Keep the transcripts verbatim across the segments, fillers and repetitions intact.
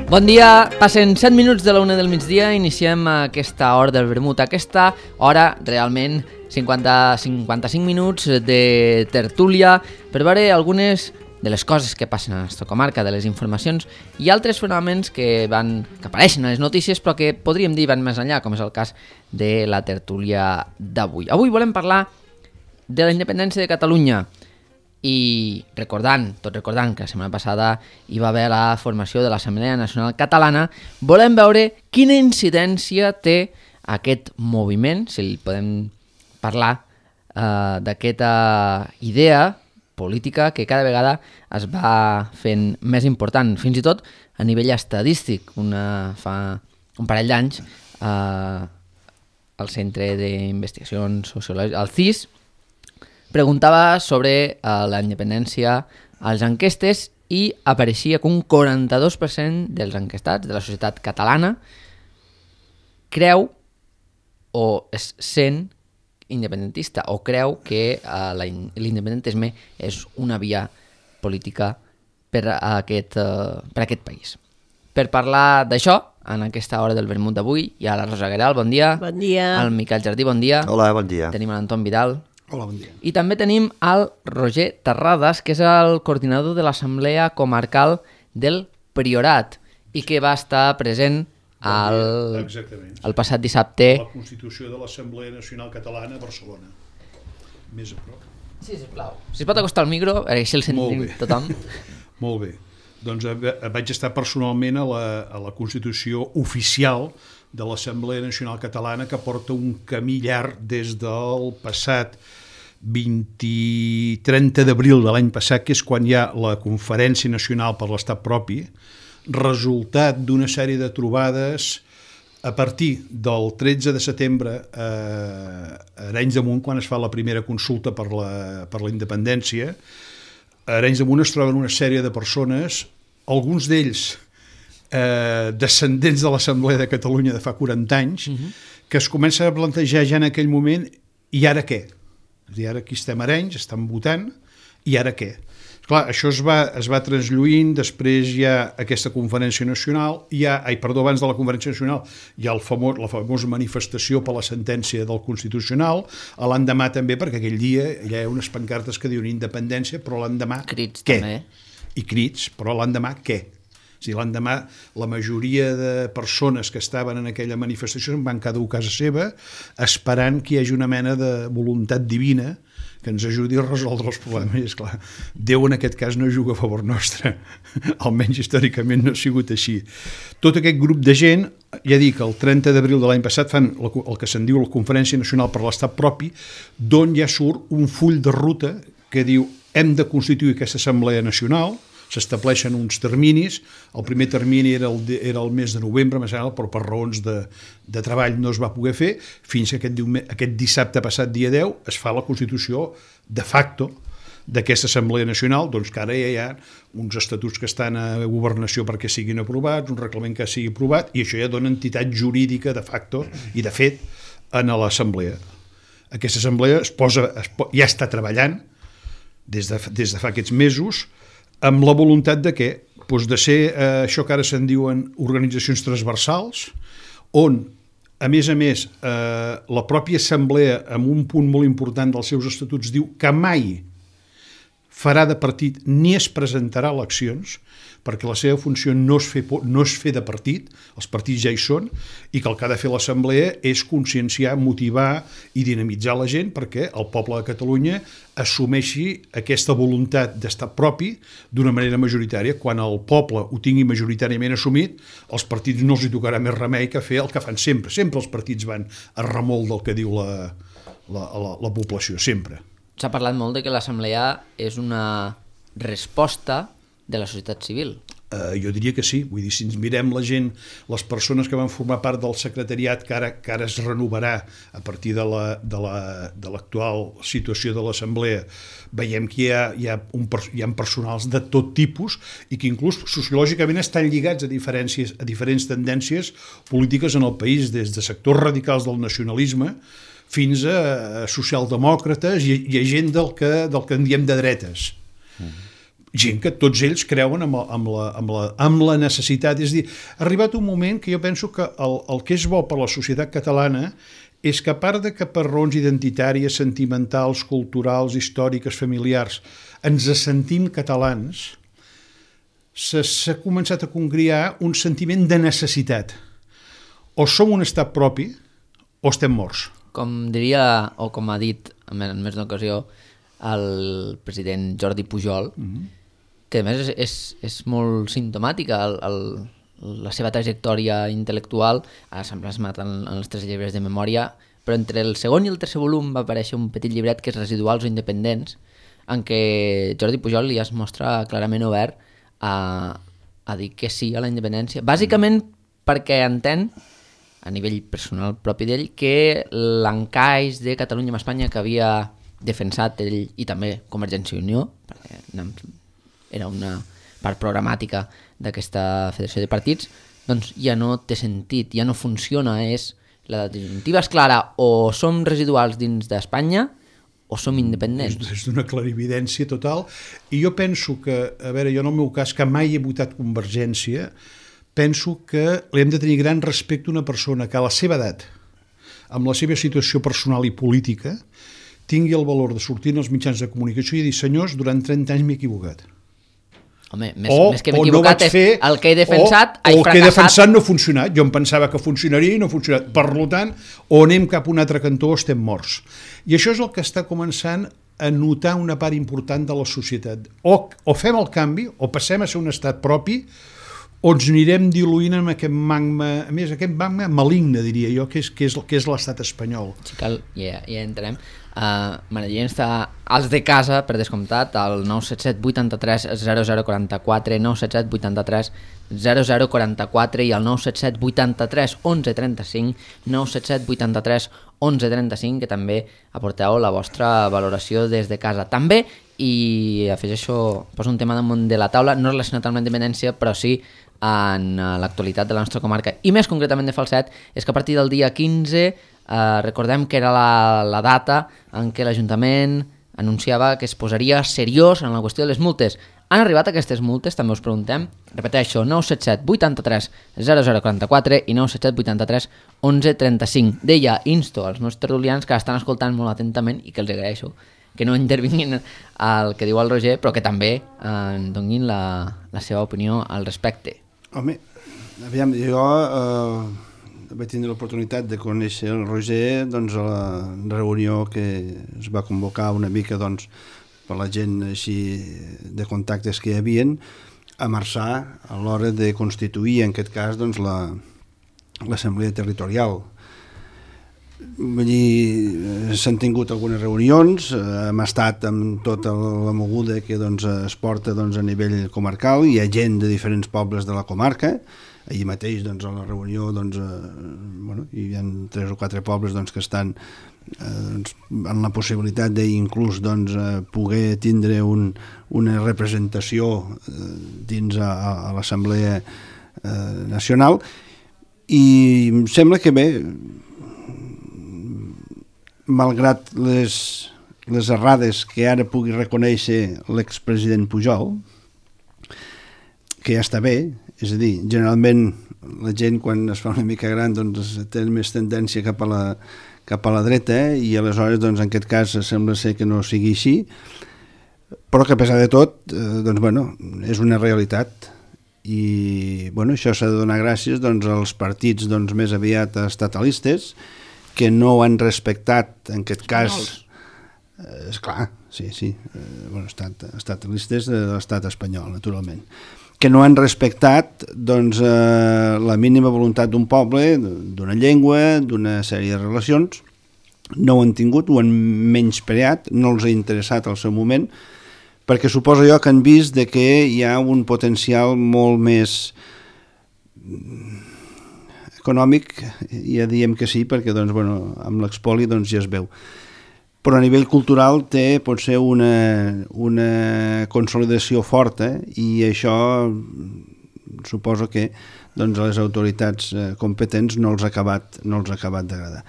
Bon dia, passen set minuts de la una del migdia, iniciem aquesta hora del vermut, aquesta hora realment cinquanta, cinquanta-cinc minuts de tertúlia per veure algunes de les coses que passen a la nostra comarca, de les informacions i altres fenòmens que, van, que apareixen a les notícies però que podríem dir van més enllà, com és el cas de la tertúlia d'avui. Avui volem parlar de la independència de Catalunya. I recordant, tot recordant que la setmana passada hi va haver la formació de l'Assemblea Nacional Catalana, volem veure quina incidència té aquest moviment, si li podem parlar eh, d'aquesta idea política que cada vegada es va fent més important, fins i tot a nivell estadístic. Una, fa un parell d'anys eh, el Centre d'Investigacions Sociològiques, el C I S, preguntava sobre uh, la independència a les enquestes i apareixia que un quaranta-dos per cent dels enquestats de la societat catalana creu o es sent independentista o creu que uh, la in- l'independentisme és una via política per a aquest, uh, per a aquest país. Per parlar d'això, en aquesta hora del vermut d'avui, hi ha la Rosa Guerral, bon dia. Bon dia. El Miquel Jardí, bon dia. Hola, bon dia. Tenim l'Anton Vidal. Hola, bon dia. I també tenim el Roger Terrades, que és el coordinador de l'Assemblea Comarcal del Priorat i que va estar present al, el passat dissabte. A la Constitució de l'Assemblea Nacional Catalana a Barcelona. Més a prop. Sí, sisplau. Si es pot acostar al micro, així el sentim tothom. Molt bé. Doncs vaig estar personalment a la, a la Constitució oficial de l'Assemblea Nacional Catalana, que porta un camí llarg des del passat vint trenta d'abril de l'any passat, que és quan hi ha la Conferència Nacional per l'Estat Propi, resultat d'una sèrie de trobades a partir del tretze de setembre a Arenys de Munt, quan es fa la primera consulta per la, per la independència. A Arenys de Munt es troben una sèrie de persones, alguns d'ells eh, descendents de l'Assemblea de Catalunya de fa quaranta anys, uh-huh. que es comença a plantejar ja en aquell moment, i ara què? És a dir, ara aquí estem a Arenys, estan votant, i ara què? Clar, això es va, es va translluint, després hi ha aquesta conferència nacional, hi ha, ai, perdó, abans de la conferència nacional hi ha el famós, la famosa manifestació per la sentència del Constitucional, a l'endemà també, perquè aquell dia hi ha unes pancartes que diuen independència, però l'endemà crits, què? També. I crits, però l'endemà què? O sigui, l'endemà la majoria de persones que estaven en aquella manifestació van cada un a casa seva esperant que hi hagi una mena de voluntat divina que ens ajudi a resoldre els problemes. I esclar, Déu en aquest cas no juga a favor nostre, almenys històricament no ha sigut així. Tot aquest grup de gent, ja dic, el trenta d'abril de l'any passat fan el que se'n diu la Conferència Nacional per l'Estat Propi, d'on ja surt un full de ruta que diu hem de constituir aquesta Assemblea Nacional, s'estableixen uns terminis, el primer termini era el, de, era el mes de novembre, però per raons de, de treball no es va poder fer, fins que aquest, aquest dissabte passat, dia deu, es fa la Constitució de facto d'aquesta Assemblea Nacional, doncs que ara ja hi ha uns estatuts que estan a governació perquè siguin aprovats, un reglament que sigui aprovat, i això ja dona entitat jurídica de facto i de fet en l'Assemblea. Aquesta Assemblea es posa, es, ja està treballant des de, des de fa aquests mesos, amb la voluntat de què? Doncs de ser eh, això que ara se'n diuen organitzacions transversals, on, a més a més, eh, la pròpia assemblea, amb un punt molt important dels seus estatuts, diu que mai farà de partit ni es presentarà a eleccions, perquè la seva funció no és fer, no és fer de partit, els partits ja hi són, i que el que ha de fer l'Assemblea és conscienciar, motivar i dinamitzar la gent perquè el poble de Catalunya assumeixi aquesta voluntat d'estat propi d'una manera majoritària. Quan el poble ho tingui majoritàriament assumit, els partits no els hi tocarà més remei que fer el que fan sempre. Sempre els partits van a remolc del que diu la, la, la, la població, sempre. S'ha parlat molt de que l'Assemblea és una resposta de la societat civil. Uh, jo diria que sí, vull dir, si ens mirem la gent, les persones que van formar part del secretariat que ara, que ara es renovarà a partir de la, de la, de l'actual situació de l'Assemblea, veiem que hi ha, hi, ha un, hi ha personals de tot tipus i que inclús sociològicament estan lligats a, diferències, a diferents tendències polítiques en el país, des de sectors radicals del nacionalisme fins a socialdemòcrates i, i a gent del que, del que en diem de dretes. Mm. gent que tots ells creuen amb, amb, la, amb, la, amb la necessitat. És a dir, ha arribat un moment que jo penso que el, el que és bo per la societat catalana és que a part de que per raons identitàries, sentimentals, culturals, històriques, familiars, ens sentim catalans, s'ha començat a congriar un sentiment de necessitat. O som un estat propi o estem morts. Com diria, o com ha dit en més d'una ocasió, el president Jordi Pujol, mm-hmm. que a més és, és, és molt simptomàtica el, el, la seva trajectòria intel·lectual, ara s'ha plasmat en, en els tres llibres de memòria, però entre el segon i el tercer volum va aparèixer un petit llibret que és Residuals o Independents, en què Jordi Pujol ja es mostra clarament obert a, a dir que sí a la independència, bàsicament perquè entén, a nivell personal propi d'ell, que l'encaix de Catalunya amb Espanya que havia defensat ell i també Convergència i Unió, perquè era una part programàtica d'aquesta federació de partits, doncs ja no té sentit, ja no funciona, és la disjuntiva és clara, o som residuals dins d'Espanya o som independents. És, és d'una clarividència total, i jo penso que, a veure, jo en el meu cas, que mai he votat Convergència, penso que li hem de tenir gran respecte a una persona que a la seva edat, amb la seva situació personal i política, tingui el valor de sortir en els mitjans de comunicació i dir, senyors, durant trenta anys m'he equivocat. Home, més, o, més que m'he equivocat no és fer, el que he defensat o, o el que he defensat no ha funcionat. Jo em pensava que funcionaria i no ha funcionat. Per tant, o anem cap a un altre cantó o estem morts. I això és el que està començant a notar una part important de la societat. O, o fem el canvi, o passem a ser un estat propi, o ens anirem diluint amb aquest magma, a més, aquest magma maligne, diria jo, que és, que és, que és l'estat espanyol. Sí, cal, ja, ja entrem. Uh, M'agradaria estar als de casa, per descomptat, al nou set set vuitanta-tres zero zero quaranta-quatre, nou set set vuitanta-tres zero zero quaranta-quatre i al nou set set vuitanta-tres onze trenta-cinc, nou set set vuitanta-tres onze trenta-cinc, que també aporteu la vostra valoració des de casa. També, i afegeixo, poso un tema damunt de la taula, no relacionat amb la independència, però sí en l'actualitat de la nostra comarca, i més concretament de Falset, és que a partir del dia quinze Uh, recordem que era la, la data en què l'Ajuntament anunciava que es posaria seriós en la qüestió de les multes. Han arribat aquestes multes, també us preguntem. Repeteixo, nou set set vuitanta-tres zero zero quaranta-quatre i nou set set vuitanta-tres onze trenta-cinc. Deia, insto als meus tertulians que estan escoltant molt atentament i que els agraeixo que no intervinguin al que diu el Roger, però que també eh, donin la, la seva opinió al respecte. Home, aviam, jo... Uh... vaig tindre l'oportunitat de conèixer el Roger doncs, a la reunió que es va convocar una mica doncs, per la gent així de contactes que hi havien a Marçà a l'hora de constituir en aquest cas doncs, la, l'assemblea territorial. Vull dir, s'han tingut algunes reunions, hem estat amb tota la moguda que doncs, es porta doncs, a nivell comarcal, hi ha gent de diferents pobles de la comarca. Ahir mateix doncs, a la reunió doncs, eh, bueno, hi ha tres o quatre pobles doncs, que estan eh, doncs, en la possibilitat d'inclús doncs, eh, poder tindre un, una representació eh, dins a, a l'Assemblea eh, Nacional, i em sembla que bé, malgrat les, les errades que ara pugui reconèixer l'expresident Pujol, que ja està bé. És a dir, generalment la gent quan es fa una mica gran doncs, té més tendència cap a la, cap a la dreta, eh? I aleshores doncs, en aquest cas sembla ser que no sigui així, però que a pesar de tot eh, doncs, bueno, és una realitat, i bueno, això s'ha de donar gràcies doncs, als partits doncs, més aviat estatalistes que no han respectat en aquest cas eh, esclar, sí, sí eh, bueno, estat, estatalistes de l'estat espanyol, naturalment, que no han respectat doncs, eh, la mínima voluntat d'un poble, d'una llengua, d'una sèrie de relacions. No ho han tingut, ho han menyspreat, no els ha interessat al seu moment, perquè suposo jo que han vist de que hi ha un potencial molt més econòmic, ja diem que sí, perquè doncs, bueno, amb l'expoli doncs, ja es veu. Però a nivell cultural té potser una, una consolidació forta, i això suposo que doncs, les autoritats competents no els ha acabat, no els ha acabat d'agradar.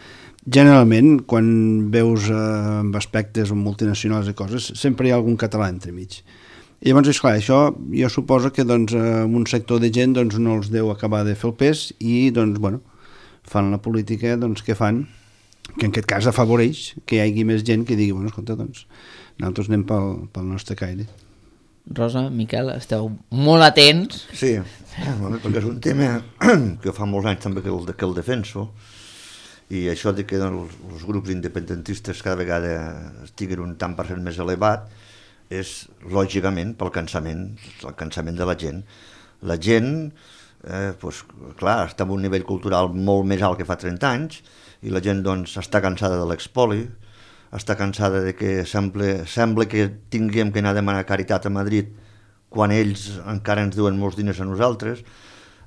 Generalment, quan veus eh, amb aspectes multinacionals i coses, sempre hi ha algun català entremig. I llavors, esclar, això jo suposo que doncs, un sector de gent doncs, no els deu acabar de fer el pes i doncs, bueno, fan la política doncs, que fan, que en aquest cas afavoreix que hi hagi més gent que digui, bueno, escolta, doncs, nosaltres anem pel, pel nostre caire. Rosa, Miquel, esteu molt atents. Sí, perquè és un tema que fa molts anys també que el, que el defenso, i això de que doncs, els grups independentistes cada vegada estiguen un tant per cent més elevat és, lògicament, pel cansament, el cansament de la gent. La gent, eh, doncs, clar, està en un nivell cultural molt més alt que fa trenta anys, i la gent doncs, està cansada de l'expoli, està cansada de que sembla, sembla que tinguem que anar a demanar caritat a Madrid quan ells encara ens duen molts diners a nosaltres,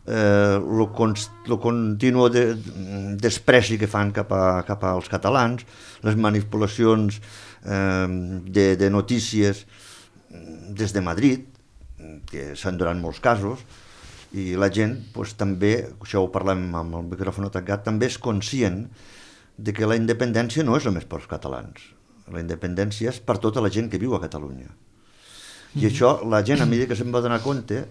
eh, lo, con, lo continu de, despreci que fan cap, a, cap als catalans, les manipulacions eh, de, de notícies des de Madrid, que s'han donat molts casos, i la gent pues, també, això ho parlem amb el micròfon tancat, també és conscient de que la independència no és només pels catalans. La independència és per tota la gent que viu a Catalunya. I això, la gent, a mesura que se'n va donar compte,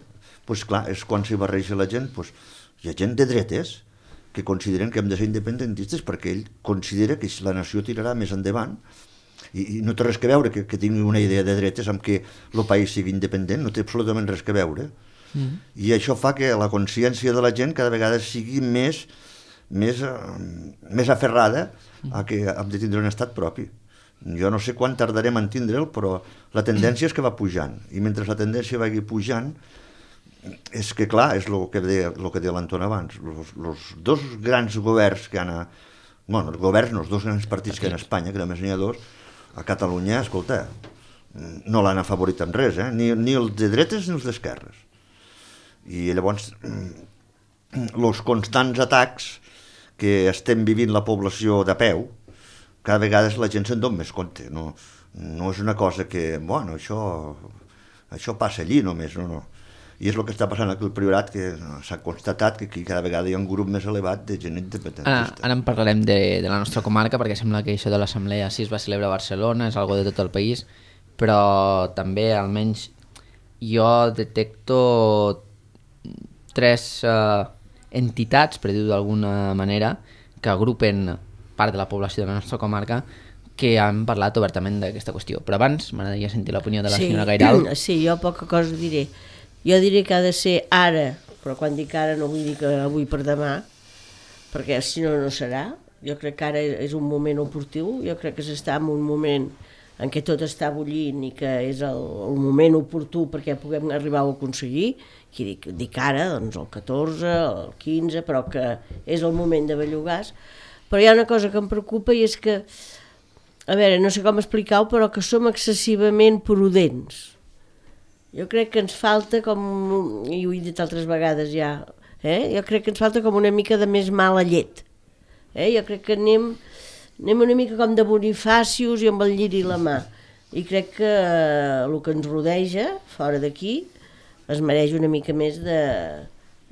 pues, clar, és quan s'hi barreja la gent, pues, hi ha gent de dretes que consideren que hem de ser independentistes perquè ell considera que la nació tirarà més endavant i, i no té res que veure que, que tingui una idea de dretes amb que el país sigui independent, no té absolutament res que veure. Mm. I això fa que la consciència de la gent cada vegada sigui més més, més aferrada a que hem de tindre un estat propi. Jo no sé quan tardarem en tindre'l, però la tendència és que va pujant, i mentre la tendència vagi pujant, és que clar, és el que deia, el que deia l'Anton abans, els dos grans governs que han a... Bueno, els governs no, els dos grans partits que hi ha a Espanya, que només n'hi ha dos, a Catalunya, escolta, no l'han afavorit en res, eh? ni, ni els de dretes ni els d'esquerres. I llavors, els constants atacs que estem vivint la població de peu, cada vegada la gent se'n dona més compte. No, no és una cosa que, bueno, això, això passa allí només, no, no. I és el que està passant aquí al Priorat, que s'ha constatat que aquí cada vegada hi ha un grup més elevat de gent independentista. Ara, ara en parlarem de, de la nostra comarca, perquè sembla que això de l'Assemblea sí es va celebrar a Barcelona, és algo de tot el país, però també, almenys, jo detecto tres... Uh, entitats, per dir-ho d'alguna manera, que agrupen part de la població de la nostra comarca que han parlat obertament d'aquesta qüestió. Però abans m'agradaria sentir l'opinió de la sí, senyora Gairal. Sí, jo poca cosa diré. Jo diré que ha de ser ara, però quan dic ara no vull dir que avui per demà, perquè si no, no serà. Jo crec que ara és un moment oportú, jo crec que s'està en un moment en què tot està bullint i que és el, el moment oportú perquè puguem arribar a aconseguir. Qui dic, dic ara, doncs el catorze, el quinze, però que és el moment de bellugars. Però hi ha una cosa que em preocupa i és que, a veure, no sé com explicar-ho, però que som excessivament prudents. Jo crec que ens falta, com, i ho he dit altres vegades ja, eh? jo crec que ens falta com una mica de més mala llet. Eh? Jo crec que anem, anem una mica com de Bonifàcios i amb el lliri la mà. I crec que eh, el que ens rodeja, fora d'aquí, es mereix una mica més de,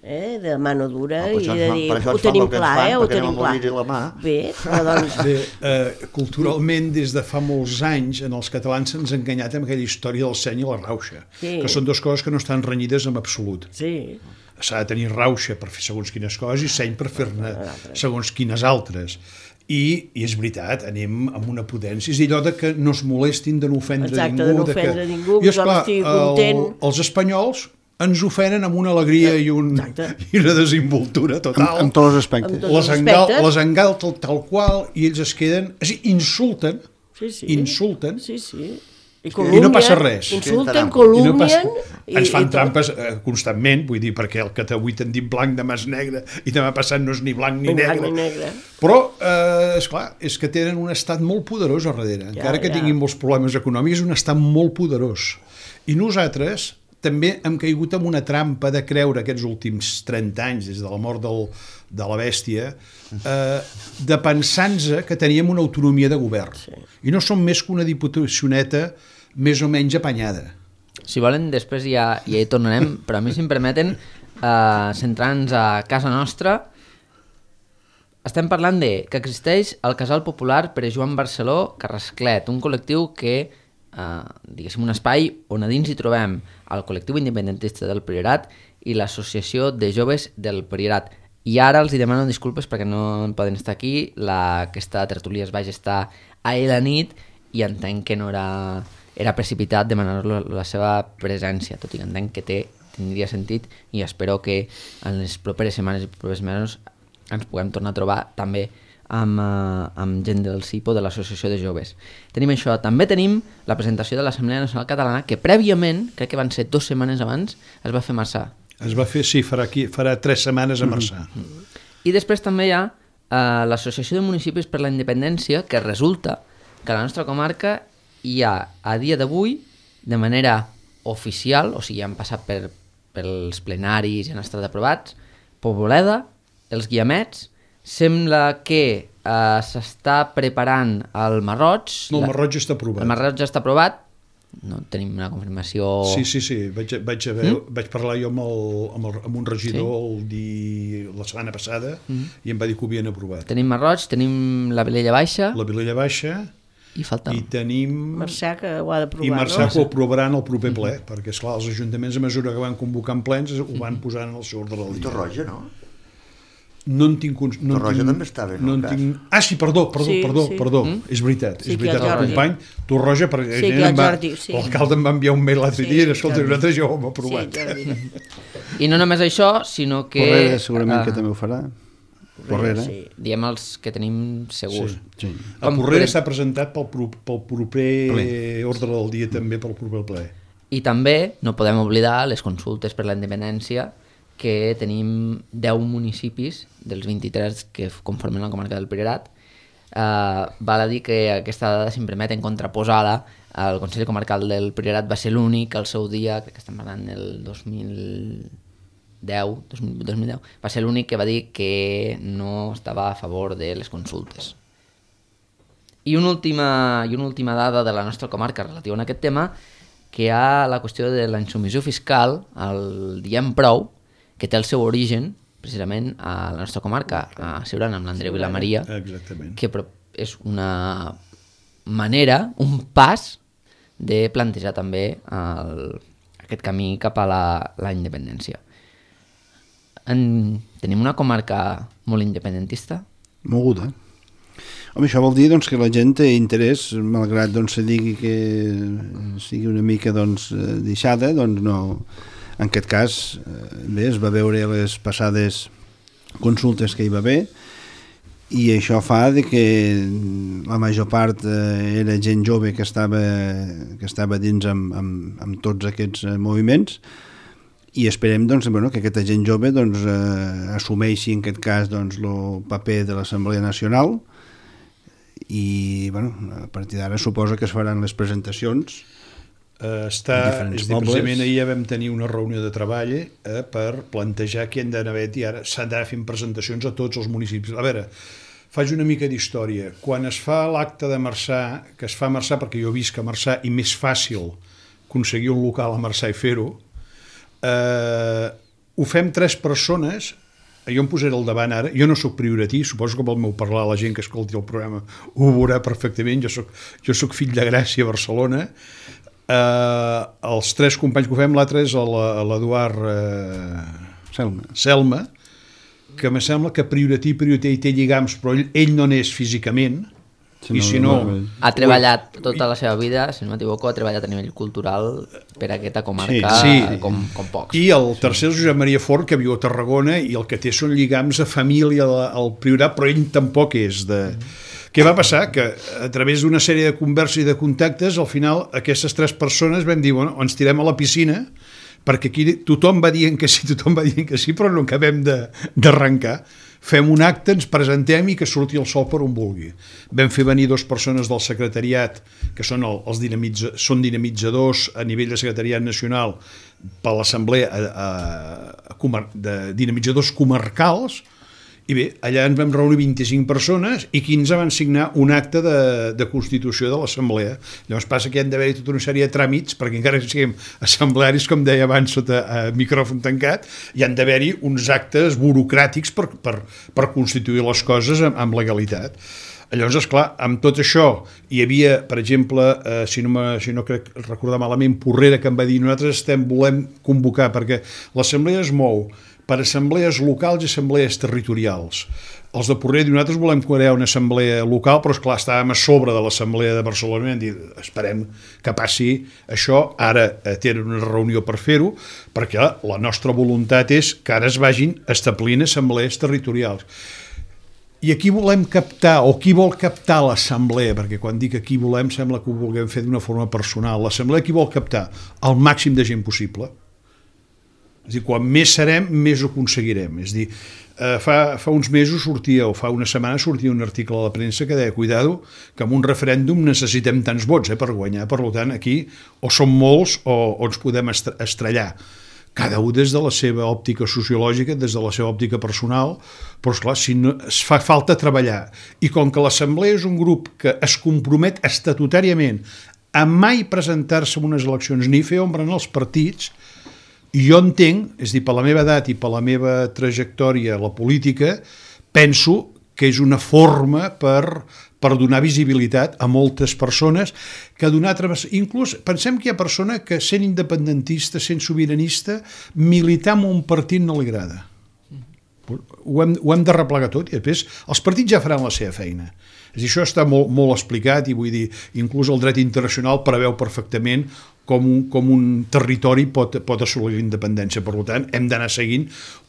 eh, de mano dura no, i de dir, ho tenim clar, eh, ho tenim clar. La mà. Bé, però doncs... Bé, eh, culturalment, des de fa molts anys, en els catalans se'ns ha enganyat amb aquella història del seny i la rauxa, sí. que són dues coses que no estan renyides en absolut. Sí. S'ha de tenir rauxa per fer segons quines coses i seny per fer-ne segons quines altres. I, i és veritat, anem amb una prudència, és allò de que no es molestin de no ofendre Exacte, ningú. de no ofendre que... ningú, I esclar, estigui content. El, els espanyols ens ofenen amb una alegria i, un, i una desinvoltura total. En, en tots els aspectes. Amb tots les, els engal, aspectes. les engalten tal qual i ells es queden... És dir, insulten, sí, sí. insulten, sí, sí. I, i no passa res. Insulten, I no passa, calumnien... I, ens fan i trampes eh, constantment, vull dir, perquè el que avui t'han dit blanc demà és negre i demà passat no és ni blanc ni, ni negre. Blanc, ni negre. Però, eh, esclar, és que tenen un estat molt poderós a darrere. Encara ja, que ja. tinguin molts problemes econòmics, és un estat molt poderós. I nosaltres també hem caigut en una trampa de creure aquests últims trenta anys, des de la mort del, de la bèstia, eh, de pensar-nos que teníem una autonomia de govern. Sí. I no som més que una diputacioneta més o menys apanyada. Si volen, després ja, ja hi tornarem, però a mi, si em permeten, eh, centrar-nos a casa nostra, estem parlant de que existeix el Casal Popular Pere Joan Barceló Carrasclet, un col·lectiu que eh, diguéssim, un espai on a dins hi trobem el col·lectiu independentista del Priorat i l'Associació de Joves del Priorat. I ara els hi demano disculpes perquè no poden estar aquí, la, aquesta tertúlia es va gestar ahir a la nit i entenc que no era, era precipitat demanar la seva presència, tot i que entenc que té, tindria sentit i espero que en les properes setmanes i properes mesos ens puguem tornar a trobar també amb, uh, amb gent del C I P O, de l'Associació de Joves. Tenim això. També tenim la presentació de l'Assemblea Nacional Catalana, que prèviament, crec que van ser dues setmanes abans, es va fer a Marçà. Es va fer, sí, farà, aquí, farà tres setmanes a Marçà. Mm-hmm. I després també hi ha uh, l'Associació de Municipis per la Independència, que resulta que a la nostra comarca hi ha, a dia d'avui, de manera oficial, o sigui, han passat per, pels plenaris i han estat aprovats, Poboleda, els Guiamets, sembla que eh, s'està preparant el Marroig. No, el Marroig està aprovat. El Marroig ja està aprovat, no tenim una confirmació... Sí, sí, sí, vaig, vaig, haver, mm? vaig parlar jo amb, el, amb, el, amb un regidor sí? el di... la setmana passada mm. i em va dir que ho havien aprovat. Tenim Marroig, tenim la Vilella Baixa... La Vilella Baixa... I falta... I tenim... Marçà, que ho ha d'aprovar, I Marçà no? que ho aprovaran el proper ple, mm. perquè, esclar, els ajuntaments, a mesura que van convocant plens, ho van posant en el seu ordre del dia. Torroja, no? No en tinc... No Torroja tinc, també estava, no? no en tinc... Ah, sí, perdó, perdó, sí, perdó, sí. perdó. Mm? És veritat, sí, és veritat, el Jordi. company Torroja, perquè sí, va, sí. l'alcalde em va enviar un mail l'altre sí, dia i sí, escolta, nosaltres ja ho hem aprovat. Sí, I no només això, sinó que... Porrera segurament uh, que també ho farà. Porrera. Sí. Diem els que tenim segurs. Sí. Sí. El Porrera està presentat pel, pro, pel proper ple. ordre del dia també, pel proper ple. I també no podem oblidar les consultes per la independència, que tenim deu municipis dels vint-i-tres que conformen la comarca del Priorat. Uh, val a dir que aquesta dada, si em permeten contraposar-la, el Consell Comarcal del Priorat va ser l'únic al seu dia, crec que estem parlant del dos mil deu, dos mil deu, va ser l'únic que va dir que no estava a favor de les consultes. I una última, i una última dada de la nostra comarca relativa a aquest tema, que hi ha la qüestió de la insumissió fiscal, el diem prou, que té el seu origen precisament a la nostra comarca, a Siurana, amb l'Andreu i la Maria, Exactament. que és una manera, un pas de plantejar també el, aquest camí cap a la, la independència. En, tenim una comarca molt independentista? Moguda. Home, això vol dir doncs, que la gent té interès, malgrat doncs, se digui que sigui una mica doncs, deixada, doncs no... En aquest cas, bé, es va veure les passades consultes que hi va haver i això fa de que la major part era gent jove que estava, que estava dins amb, amb, amb tots aquests moviments i esperem doncs, bueno, que aquesta gent jove doncs, eh, assumeixi en aquest cas doncs, el paper de l'Assemblea Nacional i bueno, a partir d'ara suposa que es faran les presentacions. Uh, està, és dir, precisament ahir ja vam tenir una reunió de treball eh, per plantejar que hem d'anar i ara s'han d'anar fent presentacions a tots els municipis. A veure, faig una mica d'història. Quan es fa l'acte de Marçà, que es fa a Marçà perquè jo visc a Marçà i més fàcil aconseguir un local a Marçà i fer-ho, eh, ho fem tres persones, jo em posaré al davant ara, jo no sóc prioratí, suposo que pel meu parlar la gent que escolti el programa ho veurà perfectament, jo soc, jo soc fill de Gràcia a Barcelona. Uh, els tres companys que ho fem, l'altre és l'Eduard uh, Selma. Selma, que me sembla que prioratí, prioratí té lligams, però ell, ell no n'és físicament, si i si no... Ha treballat tota la seva vida, si no m'equivoco, ha treballat a nivell cultural per aquesta comarca sí, sí. Com, com pocs. I el tercer és Josep Maria Fort, que viu a Tarragona i el que té són lligams a família al Priorat, però ell tampoc és de... Mm. Què va passar? Que a través d'una sèrie de converses i de contactes, al final aquestes tres persones vam dir, bueno, ens tirem a la piscina, perquè aquí tothom va dient que sí, tothom va dient que sí, però no acabem d'arrencar. Fem un acte, ens presentem i que surti el sol per on vulgui. Vam fer venir dues persones del secretariat, que són, el, els dinamitza, són dinamitzadors a nivell de secretariat nacional per l'assemblea de dinamitzadors comarcals. I bé, allà ens vam reunir vint-i-cinc persones i quinze van signar un acte de, de constitució de l'assemblea. Llavors passa que hi han d'haver tota una sèrie de tràmits, perquè encara que siguem assemblearis, com deia abans, sota eh, micròfon tancat, hi han d'haver-hi uns actes burocràtics per, per, per constituir les coses amb, amb legalitat. Llavors, esclar, amb tot això hi havia, per exemple, eh, si, no me, si no crec recordar malament, Porrera, que em va dir nosaltres estem, volem convocar, perquè l'assemblea es mou per assemblees locals i assemblees territorials. Els de Porrera diuen, nosaltres volem crear una assemblea local, però esclar, estàvem a sobre de l'assemblea de Barcelona i hem dit, esperem que passi això, ara eh, tenen una reunió per fer-ho, perquè la nostra voluntat és que ara es vagin establint assemblees territorials. I aquí volem captar, o qui vol captar l'assemblea, perquè quan dic aquí volem sembla que ho vulguem fer d'una forma personal, l'assemblea qui vol captar? El màxim de gent possible. És a dir, quan més serem, més ho aconseguirem. És a dir, eh, fa, fa uns mesos sortia, o fa una setmana sortia un article a la premsa que deia, cuidado, que en un referèndum necessitem tants vots eh, per guanyar. Per tant, aquí o som molts o, o ens podem estrellar. Cada un des de la seva òptica sociològica, des de la seva òptica personal, però esclar, si no, es fa falta treballar. I com que l'assemblea és un grup que es compromet estatutàriament a mai presentar-se en unes eleccions ni fer ombra en els partits, i jo entenc, és a dir, per la meva edat i per la meva trajectòria a la política, penso que és una forma per, per donar visibilitat a moltes persones que donar... Inclús pensem que hi ha persona que sent independentista, sent sobiranista, militar en un partit no li agrada. Ho hem, ho hem de replegar tot i després els partits ja faran la seva feina. És a dir, això està molt, molt explicat i vull dir, inclús el dret internacional preveu perfectament com un, com un territori pot, pot assolir la independència. Per tant, hem d'anar seguint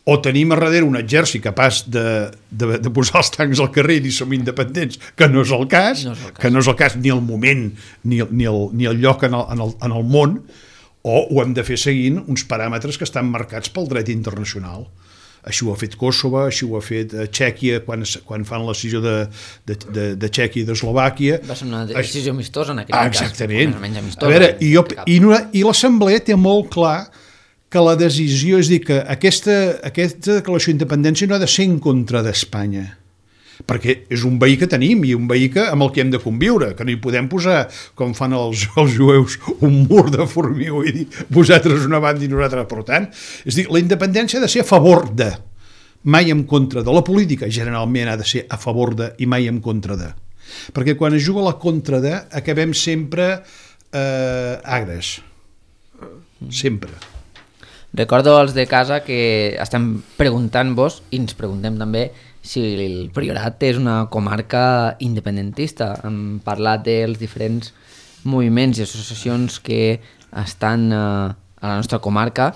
o tenim a darrere un exèrcit capaç de, de, de posar els tancs al carrer i dir som independents, que no és el cas, no és el cas. que no és el cas ni el moment ni, ni, el, ni el lloc en el, en, el, en el món, o ho hem de fer seguint uns paràmetres que estan marcats pel dret internacional. Així ho ha fet Kosovo, així ho ha fet Txèquia quan, quan fan la decisió de, de, de, de Txèquia i d'Eslovàquia. Va ser una decisió amistosa en aquell ah, cas. Exactament. Amistosa, a veure, i, jo, i, i l'Assemblea té molt clar que la decisió, és dir, que aquesta, aquesta declaració d'independència no ha de ser en contra d'Espanya, perquè és un veí que tenim i un veí que, amb el que hem de conviure, que no hi podem posar, com fan els, els jueus, un mur de formigó i dir, vosaltres una banda i nosaltres, per tant, és dir, la independència ha de ser a favor de, mai en contra de. La política generalment ha de ser a favor de i mai en contra de. Perquè quan es juga a la contra de, acabem sempre eh, agres. Sempre. Recordo als de casa que estem preguntant-vos, i ens preguntem també, si el Priorat és una comarca independentista. Hem parlat dels diferents moviments i associacions que estan a la nostra comarca,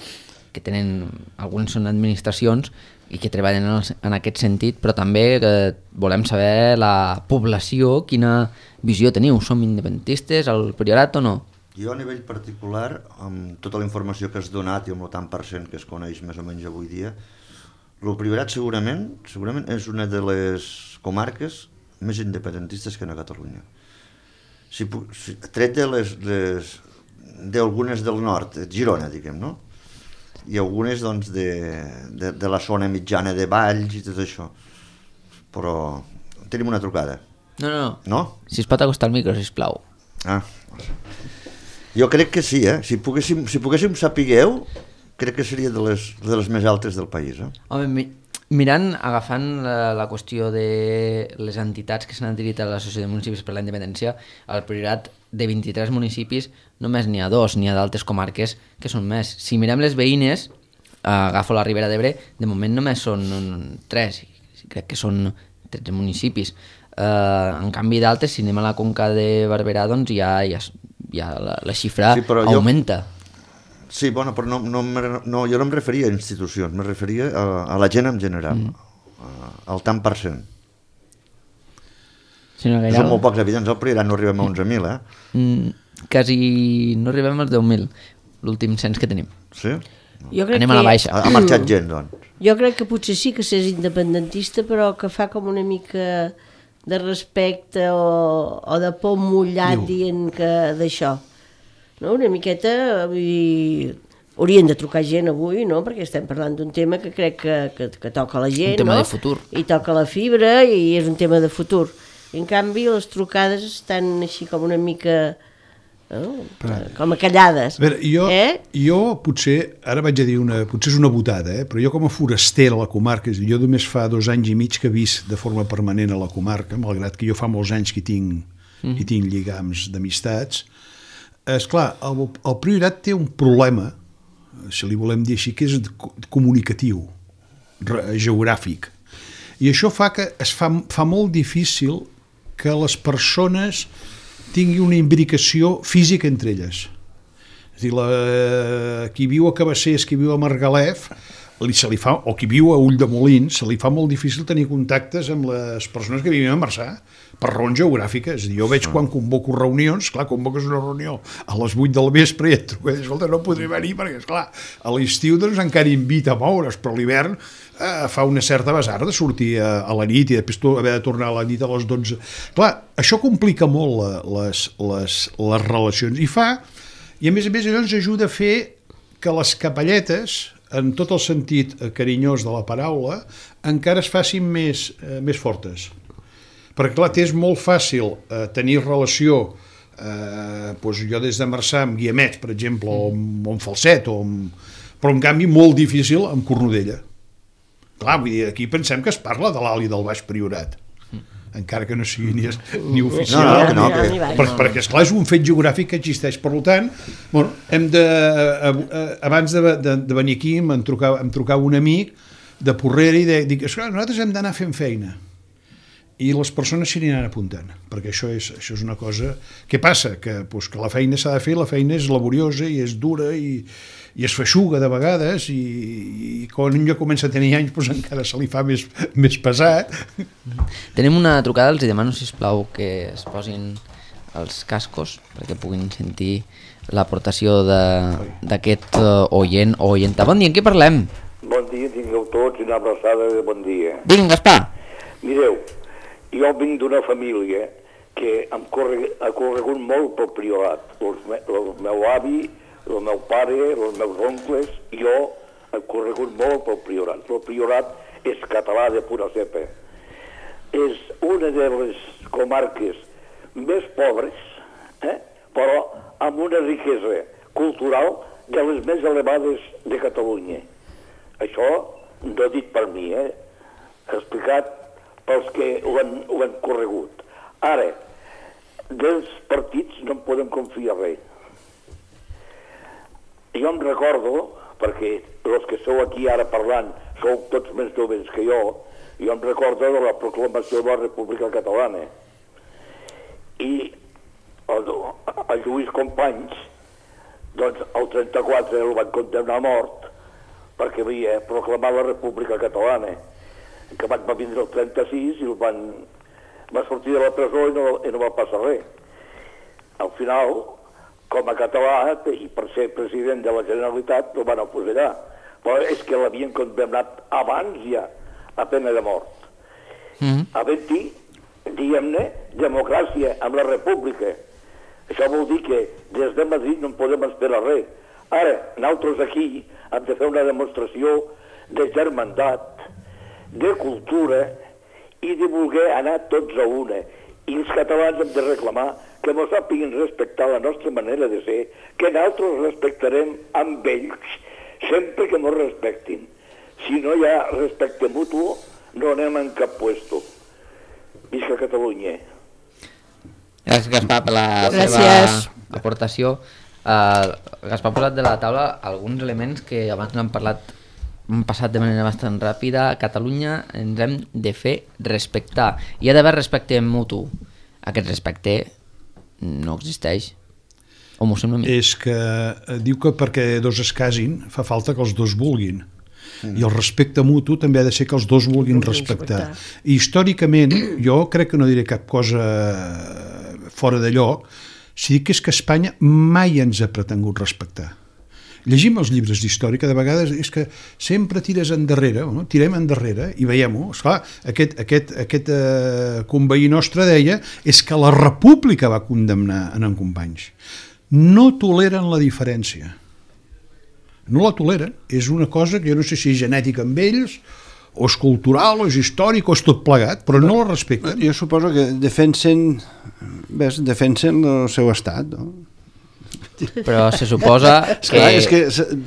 que tenen, alguns són administracions i que treballen en aquest sentit, però també volem saber la població, quina visió teniu. Som independentistes al Priorat o no? Jo a nivell particular, amb tota la informació que has donat i amb el tant per cent que es coneix més o menys avui dia, el Priorat segurament, segurament és una de les comarques més independentistes que hi ha a Catalunya. Si, si, tret de les, les d'algunes del nord, Girona, diguem, no? I algunes doncs, de, de, de la zona mitjana de Valls i tot això. Però tenim una trucada. No, no, no. Si es pot acostar al micro, sisplau. Ah, jo crec que sí, eh? Si poguéssim, si poguéssim sapigueu, crec que seria de les, de les més altes del país. Eh? Home, mi, mirant, agafant la, la qüestió de les entitats que s'han adherit a l'Associació de Municipis per la Independència, al Priorat de vint-i-tres municipis només n'hi ha dos, n'hi ha d'altres comarques que són més. Si mirem les veïnes, agafo la Ribera d'Ebre, de moment només són tres, crec que són tretze municipis. Uh, en canvi d'altres, si anem a la Conca de Barberà, doncs ja, ja, ja la, la xifra sí, augmenta. Jo... Sí, bueno, però no, no, no, jo no em referia a institucions, me referia a, a la gent en general, mm. a, al tant per cent. Si no Són molt pocs habitants, al Priorat no arribem a onze mil, eh? Mm, quasi no arribem als deu mil, l'últim cens que tenim. Sí? Jo crec Anem a la baixa. Ha, ha marxat gent, doncs. Jo crec que potser sí que s'és independentista, però que fa com una mica de respecte o, o de por mullat Diu. dient que d'això. No? Una miqueta, vull dir, haurien de trucar gent avui, no? Perquè estem parlant d'un tema que crec que, que, que toca la gent, un tema no? de futur. I toca la fibra i és un tema de futur. En canvi, les trucades estan així com una mica Oh, com a callades. A veure, jo, eh? jo potser, ara vaig a dir una, potser és una botada, eh? Però jo com a foraster a la comarca, és a dir, jo només fa dos anys i mig que he vist de forma permanent a la comarca, malgrat que jo fa molts anys que hi tinc, mm. hi tinc lligams d'amistats. Esclar, el, el Priorat té un problema, si li volem dir així, que és comunicatiu, geogràfic. I això fa que es fa, fa molt difícil que les persones tingui una imbricació física entre elles. És a dir, la, qui viu a Cabassers, qui viu a Margalef, li, se li fa, o qui viu a Ulldemolins, se li fa molt difícil tenir contactes amb les persones que vivim a Marçà, per raons geogràfiques. És a dir, jo veig quan convoco reunions, clar, convoques una reunió a les vuit del vespre i et truco, escolta, no podré venir perquè, esclar, a l'estiu doncs encara invita a moure's, però a l'hivern eh, fa una certa besar de sortir a, a la nit i després haver de tornar a la nit a les dotze. Clar, això complica molt la, les, les, les relacions i fa, i a més a més allò ens ajuda a fer que les capelletes, en tot el sentit carinyós de la paraula, encara es facin més, eh, més fortes. Perquè, clar, és molt fàcil eh, tenir relació, eh, doncs jo des de Marçà amb Guiamets, per exemple, o amb, o amb Falset, o amb... però en canvi molt difícil amb Cornudella. Clar, vull dir, aquí pensem que es parla de l'alt i del baix Priorat, encara que no sigui ni, ni oficial. No, no, no, que... per, perquè, esclar, és un fet geogràfic que existeix. Per tant, bueno, hem de, a, a, abans de, de, de venir aquí em trucava, em trucava un amic de Porrera i de, dic, esclar, nosaltres hem d'anar fent feina. I les persones s'hi aniran apuntant, perquè això és, això és una cosa... Què passa? Que, doncs, que la feina s'ha de fer, la feina és laboriosa i és dura i, i es feixuga de vegades i, i quan un ja comença a tenir anys doncs encara se li fa més, més pesat. Tenim una trucada, els demano, sisplau, que es posin els cascos perquè puguin sentir l'aportació d'aquest oient o oienta. Bon dia, en què parlem? Bon dia, tingueu tots una abraçada de bon dia. Vinga, Gaspar. Mireu, jo vinc d'una família que em corre, ha corregut molt pel Priorat. El, me, el meu avi, el meu pare, els meus oncles, jo he corregut molt pel Priorat. El Priorat és català de pura cepa. És una de les comarques més pobres, eh? però amb una riquesa cultural de les més elevades de Catalunya. Això no he dit per mi, eh? He explicat pels que ho han, ho han corregut. Ara, dels partits no en podem confiar res. Jo em recordo, perquè els que sou aquí ara parlant sou tots més joves que jo, jo em recordo de la proclamació de la República Catalana. I el, el Lluís Companys, doncs el trenta-quatre el van condemnar a mort perquè havia proclamat la República Catalana. Que va vindre el trenta-sis i el van, va sortir de la presó i no, i no va passar res. Al final, com a català i per ser president de la Generalitat, el van afusellar. Però és que l'havien condemnat abans ja, a pena de mort. Mm-hmm. Havent-hi, diguem-ne, democràcia amb la República. Això vol dir que des de Madrid no en podem esperar res. Ara, nosaltres aquí hem de fer una demostració de germandat, de cultura i de voler anar tots a una. I els catalans hem de reclamar que ens sàpiguen respectar la nostra manera de ser, que nosaltres respectarem amb ells sempre que ens respectin. Si no hi ha respecte mutu, no anem en cap puesto. Visca Catalunya. Gràcies, Gaspar, per la Gràcies. seva aportació. Uh, Gaspar ha posat de la taula alguns elements que abans no han parlat, han passat de manera bastant ràpida. A Catalunya ens hem de fer respectar. Hi ha d'haver respecte mutu. Aquest respecte no existeix. O m'ho sembla a mi? És que diu que perquè dos es casin fa falta que els dos vulguin. Mm. I el respecte mutu també ha de ser que els dos vulguin respectar. I històricament, jo crec que no diré cap cosa fora de lloc, si dic que és que Espanya mai ens ha pretengut respectar. Llegim els llibres d'història, que de vegades és que sempre tires endarrere, no? Tirem endarrere i veiem-ho. Esclar, aquest, aquest, aquest eh, conveí nostre deia és que la República va condemnar en en Companys. No toleren la diferència. No la toleren. És una cosa que jo no sé si és genètica amb ells, o és cultural, o és històric, o és tot plegat, però no la respecten. Jo suposo que defensen, ves, defensen el seu estat, no? però se suposa que... Esclar, és que,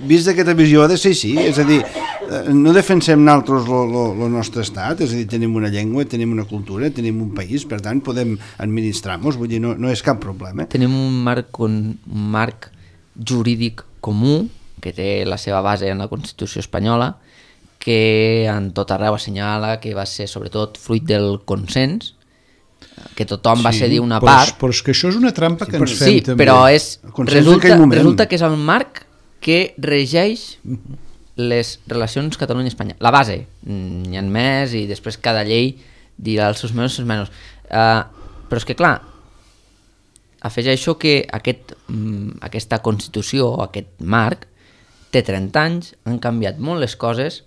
vist d'aquesta visió, ha de ser així, és a dir, no defensem nosaltres el nostre estat, és a dir, tenim una llengua, tenim una cultura, tenim un país, per tant, podem administrar-nos, vull dir, no, no és cap problema. Tenim un marc, un marc jurídic comú, que té la seva base en la Constitució espanyola, que en tot arreu assenyala que va ser sobretot fruit del consens, que tothom sí, va cedir una però, part. Però és que això és una trampa que ens fem sí, també. Però és, resulta, resulta que és el marc que regeix les relacions Catalunya-Espanya. La base, n'hi ha més i després cada llei dirà els seus menys i els menys. Uh, però és que clar, afegeixo que aquest, aquesta Constitució, aquest marc, té trenta anys, han canviat molt les coses,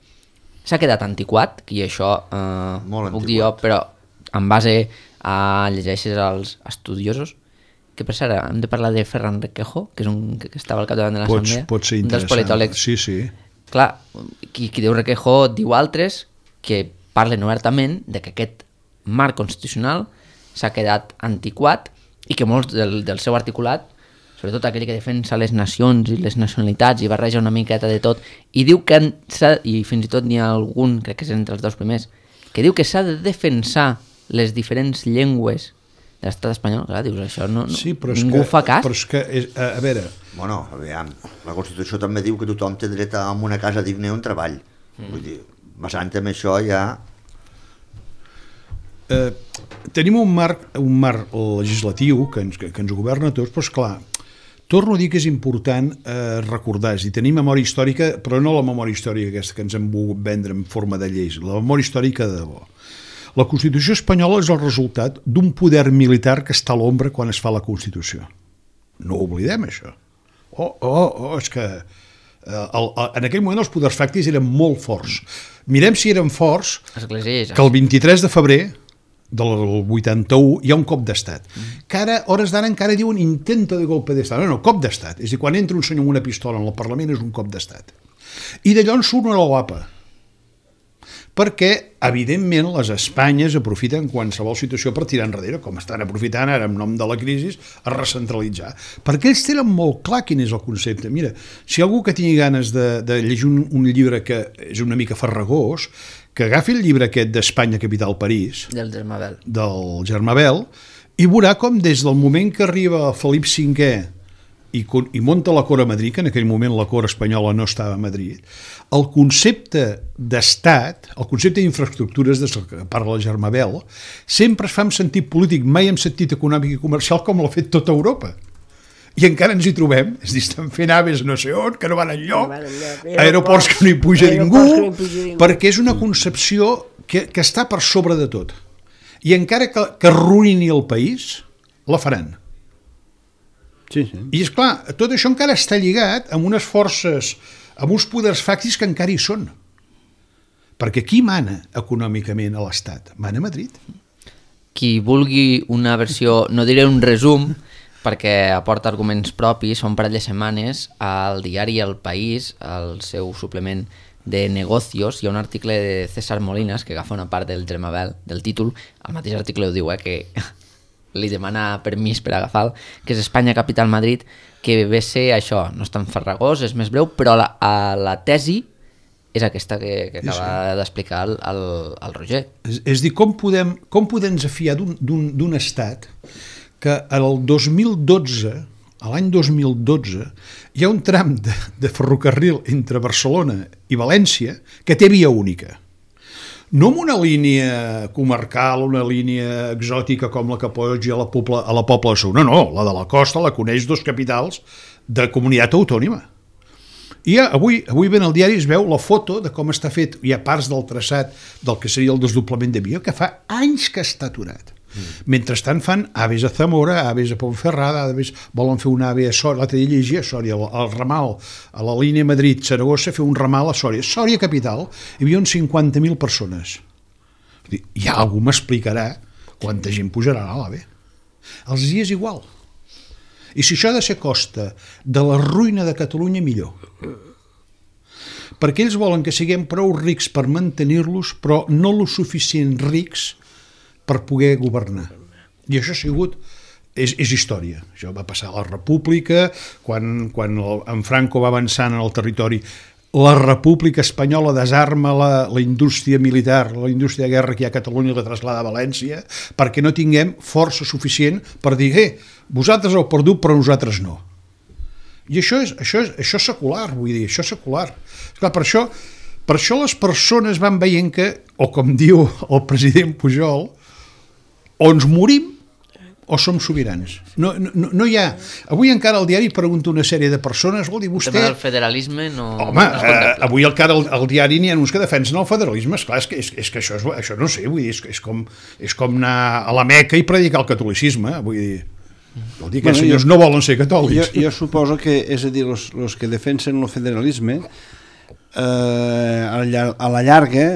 s'ha quedat antiquat, i això uh, molt puc dir jo, però en base a llegeixes als estudiosos, que per cert, hem de parlar de Ferran Requejo, que és un que estava al capdavant de l'Assemblea, pot ser un dels interessant. politòlegs. Sí, sí. Clar, qui, qui diu Requejo diu altres que parlen obertament de que aquest marc constitucional s'ha quedat antiquat i que molts del, del seu articulat, sobretot aquell que defensa les nacions i les nacionalitats i barreja una miqueta de tot, i diu que i fins i tot n'hi ha algun, crec que és entre els dos primers, que diu que s'ha de defensar les diferents llengües de l'estat espanyol. Clar, dius, això no, no sí, però ningú que, fa cas. Però és que, és, a, a veure... Bueno, aviam, la Constitució també diu que tothom té dret a una casa digna i un treball. Mm. Vull dir, basant en això ja... Eh, tenim un marc, un marc legislatiu que ens, que, que ens governa tots, però esclar, torno a dir que és important eh, recordar, és a dir, tenir memòria històrica, però no la memòria històrica aquesta que ens hem volgut vendre en forma de lleis, la memòria històrica de debò. La Constitució espanyola és el resultat d'un poder militar que està a l'ombra quan es fa la Constitució. No ho oblidem, això. Oh, oh, oh, és que eh, el, el, en aquell moment els poders fàctics eren molt forts. Mirem si eren forts Església, que el vint-i-tres de febrer del vuitanta-u hi ha un cop d'estat. Mm. Que ara, hores d'ara, encara diuen intento de golpe d'estat. No, no, cop d'estat. És a dir, quan entra un senyor amb una pistola en el Parlament és un cop d'estat. I d'allò en surt una guapa. Perquè, evidentment, les Espanyes aprofiten qualsevol situació per tirar enrere, com estan aprofitant ara en nom de la crisi, a recentralitzar. Perquè ells tenen molt clar quin és el concepte. Mira, si algú que tingui ganes de, de llegir un, un llibre que és una mica farragós, que agafi el llibre aquest d'Espanya, capital París, del Germabel, del Germabel, i veurà com des del moment que arriba Felip cinquè i, i munta la cort a Madrid, que en aquell moment la cort espanyola no estava a Madrid, el concepte d'estat, el concepte d'infraestructures des que parla el Germabel, sempre es fa en sentit polític, mai en sentit econòmic i comercial com l'ha fet tota Europa. I encara ens hi trobem, és a dir, estan fent aves no sé on, que no van enlloc, aeroports que no hi puja ningú, perquè és una concepció que, que està per sobre de tot. I encara que, que arruïni el país, la faran. Sí, sí. I és clar, tot això encara està lligat amb unes forces, amb uns poders fàctics que encara hi són. Perquè qui mana econòmicament a l'Estat? Mana a Madrid. Qui vulgui una versió, no diré un resum, perquè aporta arguments propis, fa un parell de setmanes al diari El País, al seu suplement de negocios, hi ha un article de César Molinas que agafa una part del Germabel, del títol, el mateix article ho diu, eh, que li demana permís per agafar, que és Espanya Capital Madrid, que ve ser això, no és tan farragós, és més breu, però la, a la tesi és aquesta que, que acaba sí, sí. d'explicar el, el, el Roger. És, és dir, com podem, com podem fiar d'un estat que el dos mil dotze, a l'any dos mil dotze, hi ha un tram de, de ferrocarril entre Barcelona i València que té via única. No amb una línia comarcal, una línia exòtica com la que posi a la Pobla, a la Pobla de Segur. No, no, la de la costa la coneix dos capitals de comunitat autònoma. I ja, avui, avui ben al diari es veu la foto de com està fet, hi ha parts del traçat del que seria el desdoblament de via, que fa anys que està aturat. Mm. Mentrestant fan aves a Zamora, aves a Ponferrada, aves, volen fer un ave a Sòria, l'altre dia llegia a Sòria, al ramal, a la línia Madrid-Saragossa, fer un ramal a Sòria. Sòria capital, hi havia uns cinquanta mil persones. Ja algú m'explicarà quanta gent pujarà a l'AVE. Els hi és igual. I si això ha de ser costa de la ruïna de Catalunya, millor. Perquè ells volen que siguem prou rics per mantenir-los, però no lo suficient rics per poder governar. I això ha sigut és, és història. Això va passar a la República, quan, quan el, en Franco va avançant en el territori. La República Espanyola desarma la, la indústria militar, la indústria de guerra que hi ha a Catalunya i la traslada a València, perquè no tinguem força suficient per dir, eh, vosaltres heu perdut però nosaltres no. I això és, això és, això és secular, vull dir, això és secular. Esclar, per això, per això les persones van veient que, o com diu el president Pujol, o ens morim o som sobirans. No, no, no hi ha... Avui encara al diari pregunta una sèrie de persones, vol dir, vostè... El tema del federalisme no... Home, no eh, avui encara al, al diari n'hi ha uns que defensen el federalisme, esclar, és que, és, és que això, és, això no sé, vull dir, és, és, com, és com anar a la Meca i predicar el catolicisme, vull dir... Vol dir que els bueno, senyors jo, no volen ser catòlics. Jo, jo suposo que, és a dir, els que defensen el federalisme eh, a la llarga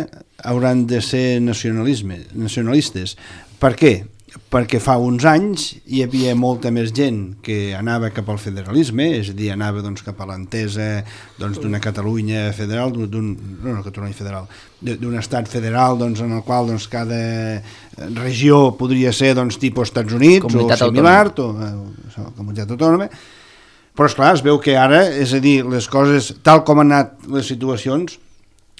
hauran de ser nacionalisme, nacionalistes. Per què? Perquè fa uns anys hi havia molta més gent que anava cap al federalisme, és a dir, anava doncs, cap a l'entesa doncs, d'una Catalunya federal, d'un, no, no Catalunya federal, d'un estat federal doncs, en el qual doncs, cada regió podria ser doncs, tipus Estats Units comunitat o similar, o, o comunitat autònoma, però esclar, es veu que ara, és a dir, les coses, tal com han anat les situacions,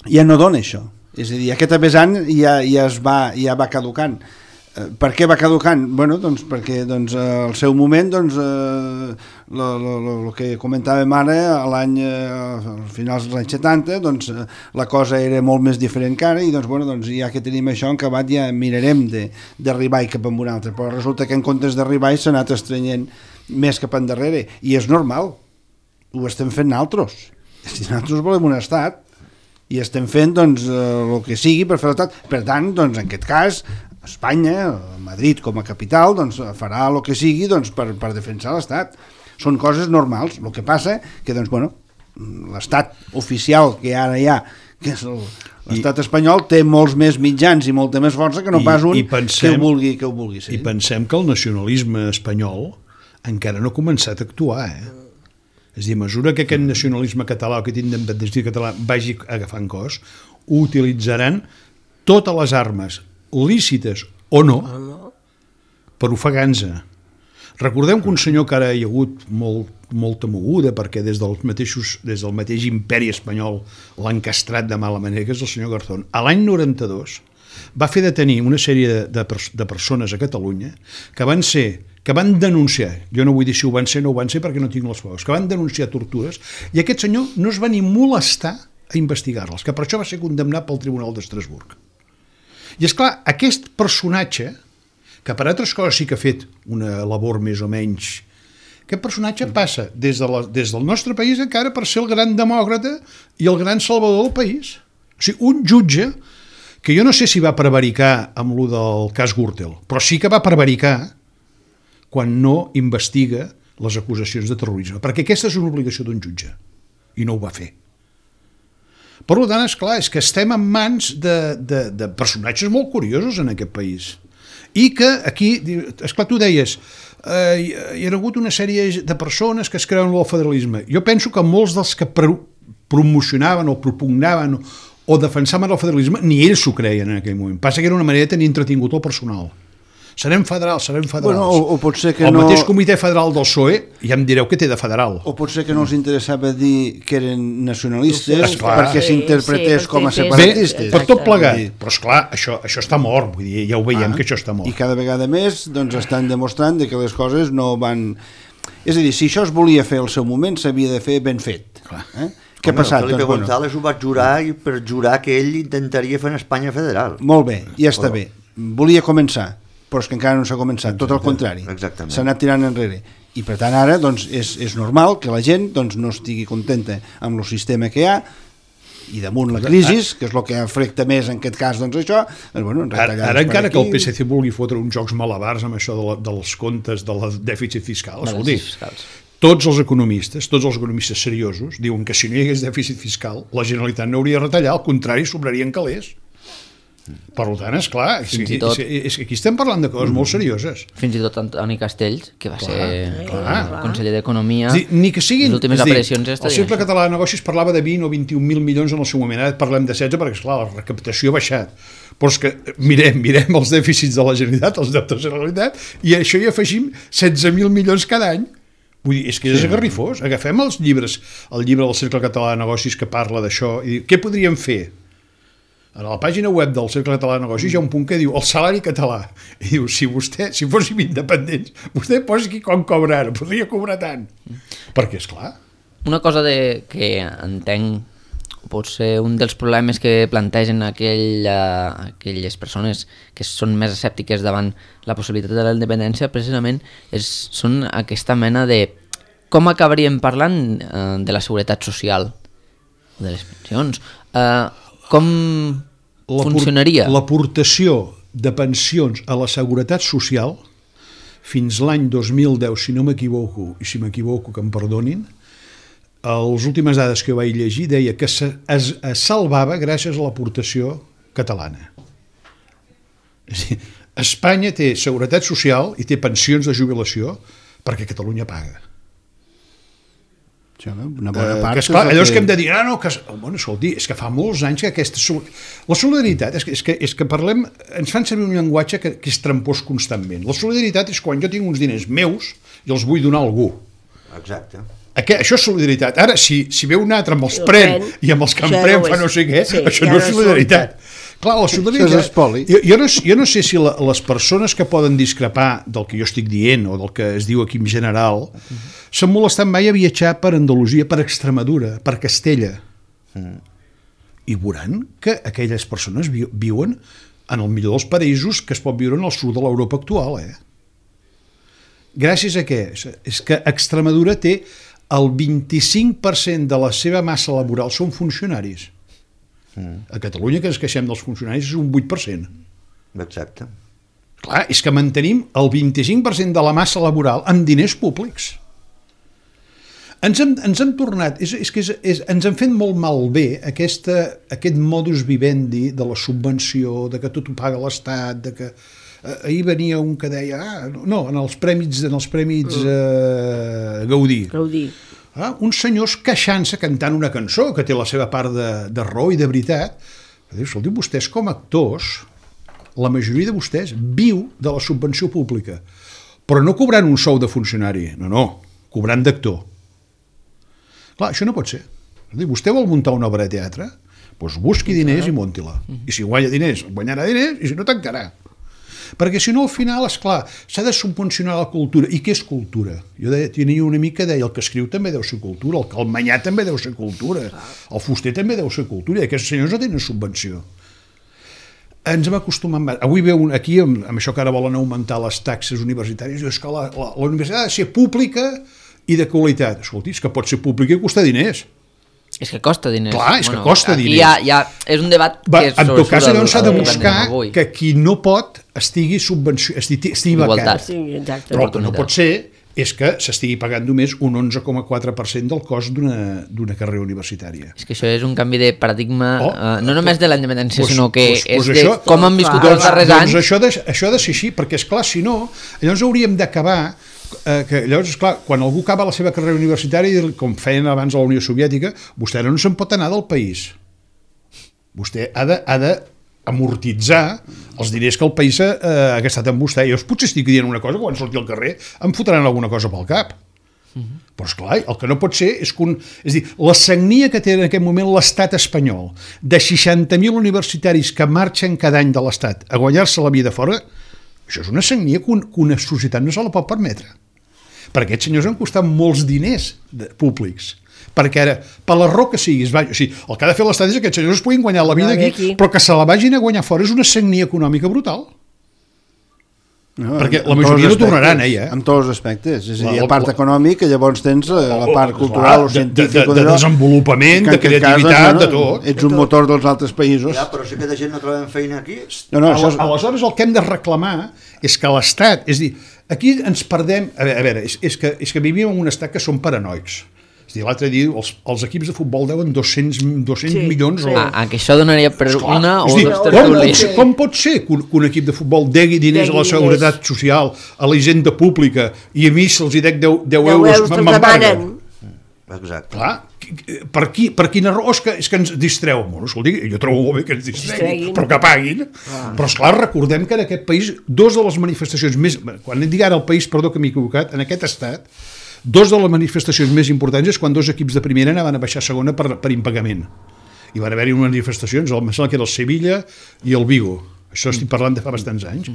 ja no dona això. És a dir, aquest vessant ja, ja, es va, ja va caducant. Per què va caducant? Bueno, doncs perquè doncs, al seu moment doncs, el que comentàvem ara a l'any, a finals dels anys setanta, doncs, la cosa era molt més diferent que ara i doncs, bueno, doncs, ja que tenim això en acabat ja mirarem d'arribar cap a un altre, però resulta que en comptes d'arribar s'ha anat estrenyent més cap endarrere i és normal, ho estem fent nosaltres. Si nosaltres volem un estat i estem fent doncs, el que sigui per fer l'estat, per tant, doncs, en aquest cas Espanya, Madrid com a capital, doncs, farà el que sigui doncs, per, per defensar l'Estat. Són coses normals. El que passa que doncs, bueno, l'Estat oficial que ara hi ha, que és l'Estat espanyol, té molts més mitjans i molta més força que no pas un I, i pensem, que, ho vulgui, que ho vulgui ser. I pensem que el nacionalisme espanyol encara no ha començat a actuar, eh? És a dir, a mesura que aquest nacionalisme català, aquest independentisme català vagi agafant cos, utilitzaran totes les armes lícites o no per ofegar-nos. Recordem que un senyor que ara hi ha hagut molt, molta moguda perquè des, dels mateixos, des del mateix imperi espanyol l'han castrat de mala manera, que és el senyor Garzón. A l'any noranta-dos va fer detenir una sèrie de, de, de persones a Catalunya que van ser que van denunciar, jo no vull dir si ho van ser o no ho van ser perquè no tinc les proves, que van denunciar tortures i aquest senyor no es va ni molestar a investigar-les, que per això va ser condemnat pel Tribunal d'Estrasburg. I és clar, aquest personatge, que per altres coses sí que ha fet una labor més o menys, aquest personatge passa des, de la, des del nostre país encara per ser el gran demòcrata i el gran salvador del país. O sigui, un jutge que jo no sé si va prevaricar amb lo del cas Gürtel, però sí que va prevaricar quan no investiga les acusacions de terrorisme, perquè aquesta és una obligació d'un jutge, i no ho va fer. Per tant, esclar, és que estem en mans de, de, de personatges molt curiosos en aquest país. I que aquí, esclar, tu deies, eh, hi ha hagut una sèrie de persones que es creuen el federalisme. Jo penso que molts dels que pro promocionaven o propugnaven o, o defensaven el federalisme, ni ells s'ho creien en aquell moment. Passa que era una manera de tenir entretingut el personal. Serem federals, serem federals. Bueno, o, o pot ser que el no... mateix comitè federal del P S O E, ja em direu que té de federal. O pot ser que no els interessava dir que eren nacionalistes esclar. perquè s'interpretés sí, com a Bé, separatistes. per tot plegat. Però esclar, això, això està mort, vull dir, ja ho veiem ah, que això està mort. I cada vegada més doncs, estan demostrant que les coses no van... És a dir, si això es volia fer al seu moment, s'havia de fer ben fet. Eh? Què ha passat? Felipe doncs, González bueno. ho va jurar i per jurar que ell intentaria fer en Espanya federal. Molt bé, ja està bé. Volia començar, però és que encara no s'ha començat, tot el contrari. S'ha anat tirant enrere. I per tant ara doncs, és, és normal que la gent doncs, no estigui contenta amb el sistema que hi ha i damunt la crisi, que és el que afecta més en aquest cas doncs això, doncs, bueno, ara, ara encara que el P S C vulgui fotre uns jocs malabars amb això de la, dels comptes del dèficit fiscal, vol dir, tots els economistes, tots els economistes seriosos diuen que si no hi hagués dèficit fiscal la Generalitat no hauria de retallar, al contrari, sobrarien calés. Per tant, esclar, és, Fins i és, tot- és, és que aquí estem parlant de coses molt serioses. Fins i tot Antoni Castells, que va ser clar. eh, conseller d'Economia, És dir, ni que siguin... les últimes és dir, aparicions el Cercle Català de Negocis parlava de vint o vint-i-un mil milions en el seu moment, ara parlem de setze perquè, esclar, la recaptació ha baixat. Però és que mirem, mirem els dèficits de la Generalitat, els deutes de la Generalitat, i a això hi afegim setze mil milions cada any. Vull dir, és que és agarrifós. Agafem els llibres, el llibre del Cercle Català de Negocis que parla d'això, i diu, què podríem fer? A la pàgina web del Cercle Català de Negocis hi ha un punt que diu el salari català. I diu, si vostè, si fóssim independents, vostè posi aquí com cobra ara, podria cobrar tant. Perquè, és clar, una cosa de, que entenc pot ser un dels problemes que plantegen aquell, uh, aquelles persones que són més escèptiques davant la possibilitat de la independència, precisament és, són aquesta mena de com acabaríem parlant uh, de la seguretat social, de les pensions, uh, com funcionaria? L'aportació de pensions a la seguretat social fins l'any dos mil deu, si no m'equivoco, i si m'equivoco que em perdonin, les últimes dades que vaig llegir deia que se, es, es salvava gràcies a l'aportació catalana. És a dir, Espanya té seguretat social i té pensions de jubilació perquè Catalunya paga. Sí, una bona Eh, part que esclar, és el allò és que hem de dir, ah, no, que, bueno, escolti, és que fa molts anys que aquesta... La solidaritat, és que, és que, és que parlem, ens fan servir un llenguatge que, que és trampós constantment. La solidaritat és quan jo tinc uns diners meus i els vull donar a algú. Exacte. Aquest, això és solidaritat. Ara, si, si ve un altre amb els El pren pren, i amb els que em això pren no fa és- no sé què, sí, això ja no no és és solidaritat. Clar, la solidaritat... Això és espoli. Jo, jo, no, jo no sé si la, les persones que poden discrepar del que jo estic dient o del que es diu aquí en general s'han molestat mai a viatjar per Andalusia, per Extremadura, per Castella. I veuran que aquelles persones vi, viuen en el millor dels paraïsos que es pot viure en el sud de l'Europa actual, eh? Gràcies a què? És que Extremadura té el vint-i-cinc per cent de la seva massa laboral són funcionaris. A Catalunya, que ens queixem dels funcionaris, és un vuit per cent. Exacte. Clar, és que mantenim el vint-i-cinc per cent de la massa laboral amb diners públics. Ens hem, ens hem tornat, és, és que és, és, ens hem fet molt malbé aquesta, aquest modus vivendi de la subvenció, de que tot ho paga l'Estat, de que eh, ahir venia un que deia, ah, no, en els prèmits, en els prèmits eh, Gaudí. Gaudí. Ah, uns senyors queixant-se cantant una cançó que té la seva part de, de raó i de veritat. Diu, escolti, vostès com a actors, la majoria de vostès viu de la subvenció pública, però no cobrant un sou de funcionari, no, no, cobrant d'actor. Clar, això no pot ser. Vostè vol muntar una obra de teatre? Doncs busqui diners i munti-la. I si guanya diners, guanyarà diners, i si no, tancarà. Perquè si no, al final, esclar, s'ha de subvencionar la cultura. I què és cultura? Jo deia, tenia una mica que deia, el que escriu també deu ser cultura, el calmanyà també deu ser cultura, el fuster també deu ser cultura, i aquests senyors no tenen subvenció. Ens hem acostumat... Avui veu aquí, amb, amb això que ara volen augmentar les taxes universitàries, és que la, la, la universitat ha de ser pública i de qualitat. Escolti, és que pot ser pública i costar diners. És que costa diners. Clar, és que costa aquí diners. Ja, ja és un debat Va, que és en tot cas, llavors s'ha de el- el- buscar avui. que qui no pot estigui subvenció, estigui, estigui Igualtat. becat. Sí, exacte. Però el que no pot ser és que s'estigui pagant només un onze coma quatre per cent del cost d'una d'una carrera universitària. És que això és un canvi de paradigma, Oh, uh, no només de la independència, pues- sinó que pues- pues és de això- com han viscut Clar. els darrers doncs anys. això, de, això ha de ser així, perquè, esclar, si no, llavors hauríem d'acabar eh, que llavors, esclar, quan algú acaba la seva carrera universitària, com feien abans a la Unió Soviètica, vostè no se'n pot anar del país. Vostè ha de, ha de amortitzar els diners que el país ha, eh, ha gastat amb vostè. Jo potser estic dient una cosa que quan surti al carrer em fotran alguna cosa pel cap. Però, esclar, el que no pot ser és que un, és a dir, la sagnia que té en aquest moment l'estat espanyol de seixanta mil universitaris que marxen cada any de l'estat a guanyar-se la vida fora, això és una sagnia que, un, que una societat no se la pot permetre. Perquè aquests senyors han costat molts diners de, públics. Perquè ara, per l'error que siguis, va, o sigui, el que ha de fer l'estat és que aquests senyors es puguin guanyar la vida No, aquí, aquí, però que se la vagin a guanyar fora és una sagnia econòmica brutal. No, Perquè la en majoria tots no els tornaran, aspectes, eh, ja. En tots els aspectes. És a dir, La- a part la- econòmic, que llavors tens eh, la Oh, part oh, cultural o de- de- científica... de- de desenvolupament, de creativitat, de tot. Ets un motor dels altres països. Ja, però si aquesta gent no trobem feina aquí... No, no, això és... Aleshores el que hem de reclamar és que l'Estat, és a dir, aquí ens perdem, a veure, a veure és, és, que, és que vivim en un estat que som paranoics. És a Hosti, l'altre dia els, els equips de futbol deuen dos-cents, dos-cents Sí, milions. sí. O... Ah, ah, que això donaria per Esclar, una o és dir, dues com, tertúlies. pot, com pot ser que un, que un equip de futbol degui diners Degui a la seguretat social, a la hisenda pública, i a mi se'ls hi dec deu, deu deu euros, euros te'ls m'embarguen? demanen. Exacte. Clar, per, qui, per quina raó és que, és que ens distreu? Bueno, escolti, jo trobo molt bé que ens distreguin, Distreguin. però que paguin. Ah. Però, esclar, recordem que en aquest país, dos de les manifestacions més... Quan dic ara el país, perdó que m'he equivocat, en aquest estat, dos de les manifestacions més importants és quan dos equips de primera anaven a baixar a segona per, per impagament. I van haver-hi manifestacions, em sembla que era el Sevilla i el Vigo. Això estic parlant de fa bastants anys.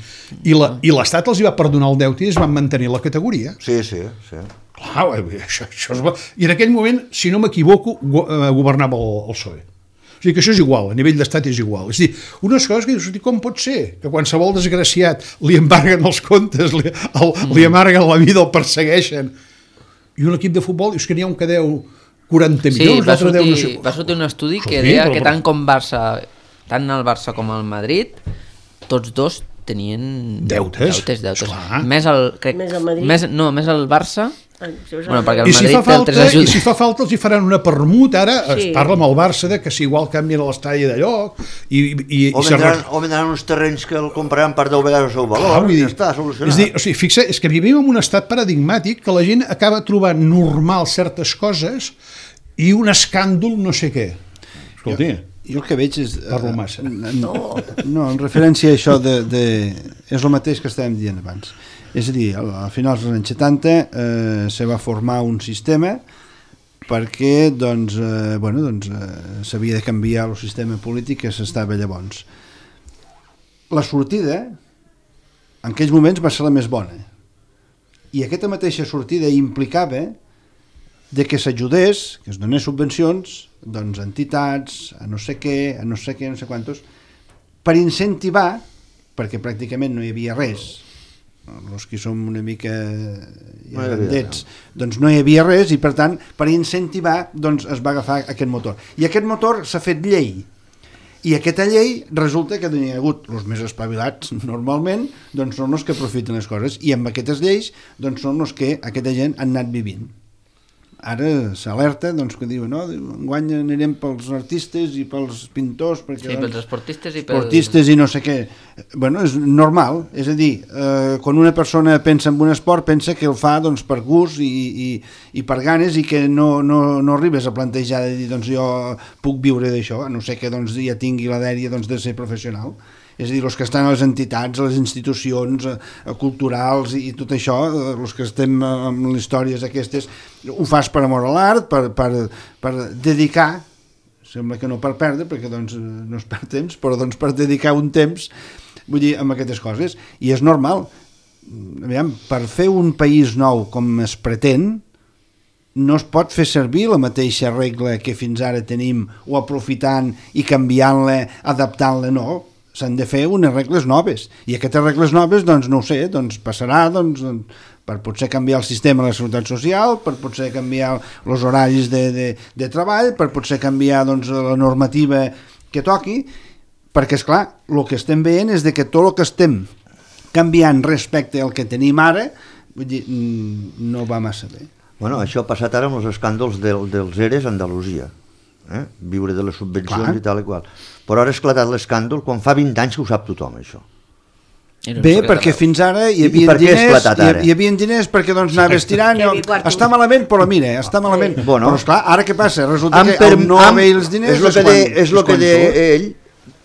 I l'Estat els hi va perdonar el deute i es van mantenir la categoria. Sí, sí, sí. Clar, això, això es va... I en aquell moment, si no m'equivoco, go governava el, el P S O E. O sigui que això és igual, a nivell d'estat és igual. És a dir, unes coses que dius, com pot ser que qualsevol desgraciat li embarguen els comptes, li, el, li amarguen la vida, el persegueixen, i un equip de futbol, dius que n'hi ha un que deu quaranta milions, Sí, va sortir, deu no sé... va sortir un estudi que Sí, deia però- que tant com Barça, tant el Barça com el Madrid, tots dos tenien Deutes, deutes, deutes. esclar. Més el, crec, Més el Madrid? Més, no, més el Barça. Ai, si us Bueno, perquè el I si, Madrid fa té falta, altres ajudes. I si fa falta els hi faran una permut, ara sí. Sí. Es parla amb el Barça de que si igual canvien l'estadi de lloc i, i, O i se vendran, o vendran uns terrenys que el compraran per deu vegades el seu valor. Clar, vull dir, ja està solucionat. és dir, o sigui, fixa, és que vivim en un estat paradigmàtic que la gent acaba trobant normal certes coses i un escàndol no sé què. Escolti, Jo el que veig és... Parlo massa. No, no en referència a això de, de... És el mateix que estàvem dient abans. És a dir, a finals dels anys setanta eh, se va formar un sistema perquè doncs, eh, bueno, doncs, eh, s'havia de canviar el sistema polític que s'estava llavors. La sortida en aquells moments va ser la més bona. I aquesta mateixa sortida implicava de que s'ajudés, que es donés subvencions doncs, a entitats, a no sé què, a no sé què, no sé quantos, per incentivar, perquè pràcticament no hi havia res, els que som una mica ja grandets, doncs no hi havia res i per tant per incentivar doncs, es va agafar aquest motor. I aquest motor s'ha fet llei. I aquesta llei resulta que n'hi ha hagut els més espavilats normalment, doncs són els que aprofiten les coses i amb aquestes lleis doncs són els que aquesta gent han anat vivint. Ara s'alerta, doncs, que diuen, no, enguany anirem pels artistes i pels pintors, perquè, Sí, doncs, pels esportistes i pels... esportistes i no sé què. Bueno, és normal, és a dir, eh, quan una persona pensa en un esport, pensa que el fa doncs, per gust i, i, i per ganes i que no, no, no arribes a plantejar de dir, doncs jo puc viure d'això, a no ser que doncs, ja tingui la dèria doncs, de ser professional. És a dir, els que estan a les entitats, a les institucions eh, culturals i, i tot això, eh, els que estem amb les històries aquestes, ho fas per amor a l'art, per, per, per dedicar, sembla que no per perdre, perquè doncs, no es perd temps, però doncs, per dedicar un temps, vull dir, amb aquestes coses. I és normal. Aviam, per fer un país nou com es pretén, no es pot fer servir la mateixa regla que fins ara tenim, o aprofitant i canviant-la, adaptant-la, no. S'han de fer unes regles noves i aquestes regles noves, doncs no ho sé, doncs passarà doncs, per potser canviar el sistema de la seguretat social, per potser canviar els horaris de, de, de treball, per potser canviar doncs, la normativa que toqui, perquè és clar, el que estem veient és de que tot el que estem canviant respecte al que tenim ara, vull dir, no va massa bé. Bueno, això ha passat ara amb els escàndols del, dels ERES a Andalusia. Eh? Viure de les subvencions Clar. i tal i qual. Però ara ha esclatat l'escàndol quan fa vint anys que ho sap tothom, això. Bé, perquè fins ara hi I havia per què ha diners, esclatat hi, ara? hi havia diners perquè doncs anaves tirant, Que i, havia quartos. està malament, però mira, està malament. Bueno. Però esclar, ara què passa? Resulta Amb que per- el no amb- haver els diners és el que, quan, de, és lo que quan de surt. ell,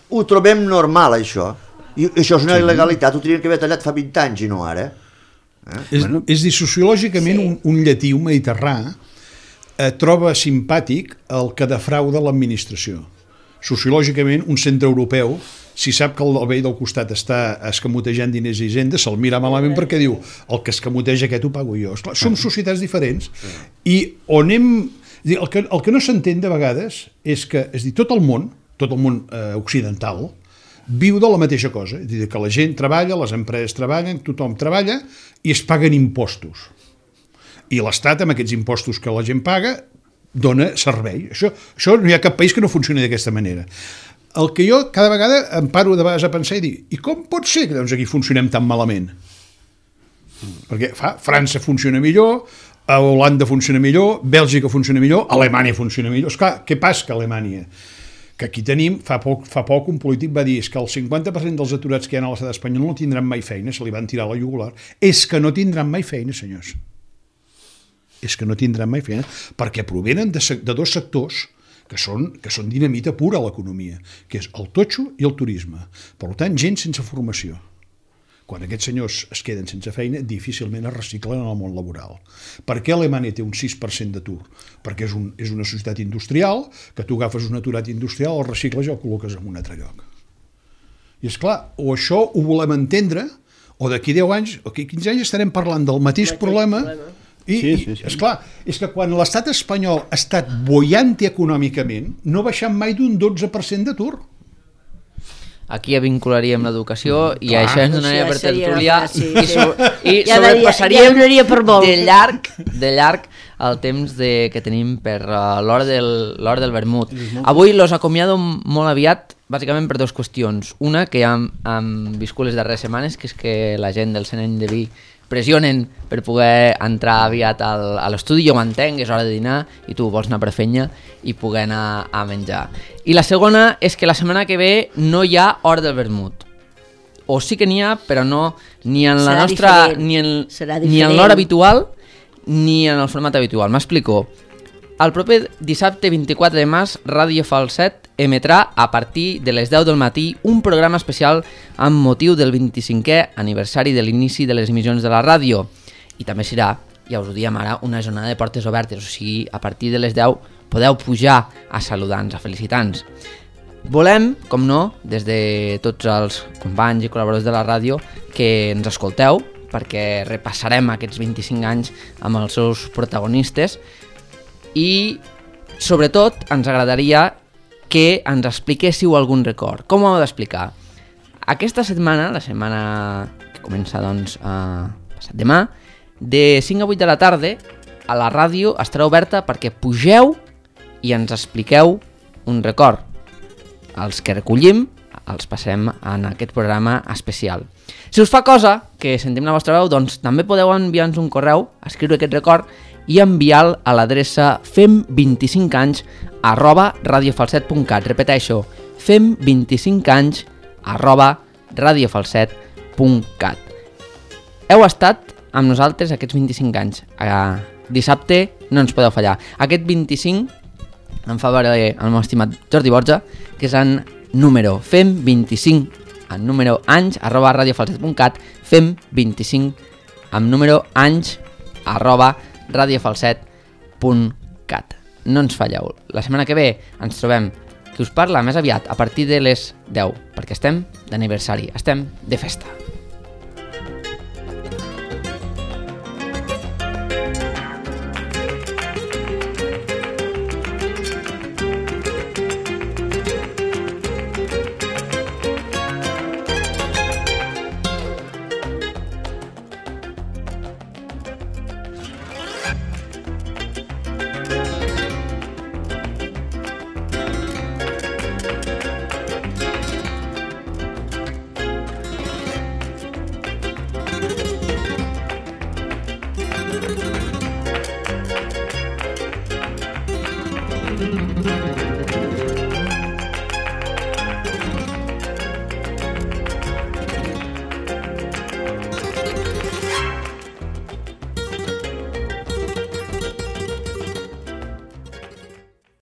ho trobem normal, això. I això és una il·legalitat, ho tenien que haver tallat fa vint anys i no ara. És, bueno, és dir, sociològicament sí. un, un llatí, un mediterrà, eh, troba simpàtic el que defrauda l'administració. Sociològicament, un centre europeu, si sap que el veí del costat està escamotejant diners i hisenda, se'l mira malament perquè diu el que escamoteja aquest ho pago jo. Esclar, som societats diferents i on hem... El que, el que no s'entén de vegades és que és dir, tot el món, tot el món eh, occidental, viu de la mateixa cosa, és dir, que la gent treballa, les empreses treballen, tothom treballa i es paguen impostos. I l'Estat, amb aquests impostos que la gent paga, dona servei. Això, això no hi ha cap país que no funcioni d'aquesta manera. El que jo cada vegada em paro de vegades a pensar i dir, i com pot ser que doncs, aquí funcionem tan malament? Perquè fa, França funciona millor, a Holanda funciona millor, Bèlgica funciona millor, Alemanya funciona millor. Esclar, què passa que Alemanya? Que aquí tenim, fa poc, fa poc un polític va dir és que el cinquanta per cent dels aturats que hi ha a l'estat espanyol no tindran mai feina, se li van tirar la jugular. És que no tindran mai feina, senyors. És que no tindran mai feina, perquè provenen de, de dos sectors que són, que són dinamita pura a l'economia, que és el totxo i el turisme. Per tant, gent sense formació. Quan aquests senyors es queden sense feina, difícilment es reciclen en el món laboral. Per què Alemanya té un sis per cent d'atur? Perquè és, un, és una societat industrial, que tu agafes un aturat industrial, el recicles i el col·loques en un altre lloc. I és clar, o això ho volem entendre, o d'aquí deu anys, o d'aquí quinze anys estarem parlant del mateix problema, i, sí, sí, sí. I esclar, és que quan l'estat espanyol ha estat boiant econòmicament, no ha baixat mai d'un dotze per cent d'atur. Aquí ja vincularíem l'educació i Clar, això ens donaria per tertulià sí, i, so, i ja sobrepassaríem ja, ja per de llarg de llarg el temps de, que tenim per uh, l'hora del, l'hora del vermut. Avui los acomiado molt aviat, bàsicament per dues qüestions. Una, que ja hem, hem viscut les darreres setmanes, que és que la gent del cent anys de vi pressionen per poder entrar aviat al, a l'estudi, jo m'entenc, és hora de dinar i tu vols anar per fenya i poder anar a menjar. I la segona és que la setmana que ve no hi ha hora del vermut. O sí que n'hi ha, però no ni en la Serà nostra diferent. ni en, Serà ni en l'hora habitual ni en el format habitual. M'explico. El proper dissabte vint-i-quatre de març, Ràdio Falset emetrà a partir de les deu del matí un programa especial amb motiu del vint-i-cinquè aniversari de l'inici de les emissions de la ràdio. I també serà, ja us ho diem ara, una jornada de portes obertes, o sigui, a partir de les deu podeu pujar a saludar-nos, a felicitar-nos. Volem, com no, des de tots els companys i col·laboradors de la ràdio, que ens escolteu, perquè repassarem aquests vint-i-cinc anys amb els seus protagonistes i, sobretot, ens agradaria que ens expliquéssiu algun record. Com ho heu d'explicar? Aquesta setmana, la setmana que comença doncs a passat demà, de cinc a vuit de la tarda, a la ràdio estarà oberta perquè pugeu i ens expliqueu un record. Els que recollim els passem en aquest programa especial. Si us fa cosa que sentim la vostra veu, doncs també podeu enviar-nos un correu, escriure aquest record i enviar-lo a l'adreça fem vint-i-cinc anys arroba radiofalset punt cat. Repeteixo, fem vint-i-cinc anys arroba radiofalset punt cat. Heu estat amb nosaltres aquests vint-i-cinc anys. Uh, dissabte no ens podeu fallar. Aquest vint-i-cinc em fa veure el meu estimat Jordi Borja, que és en número fem vint-i-cinc en número anys arroba radiofalset punt cat, fem vint-i-cinc amb número anys arroba radiofalset punt cat. No ens falleu. La setmana que ve ens trobem, que us parla més aviat, a partir de les deu, perquè estem d'aniversari, estem de festa. Thank you.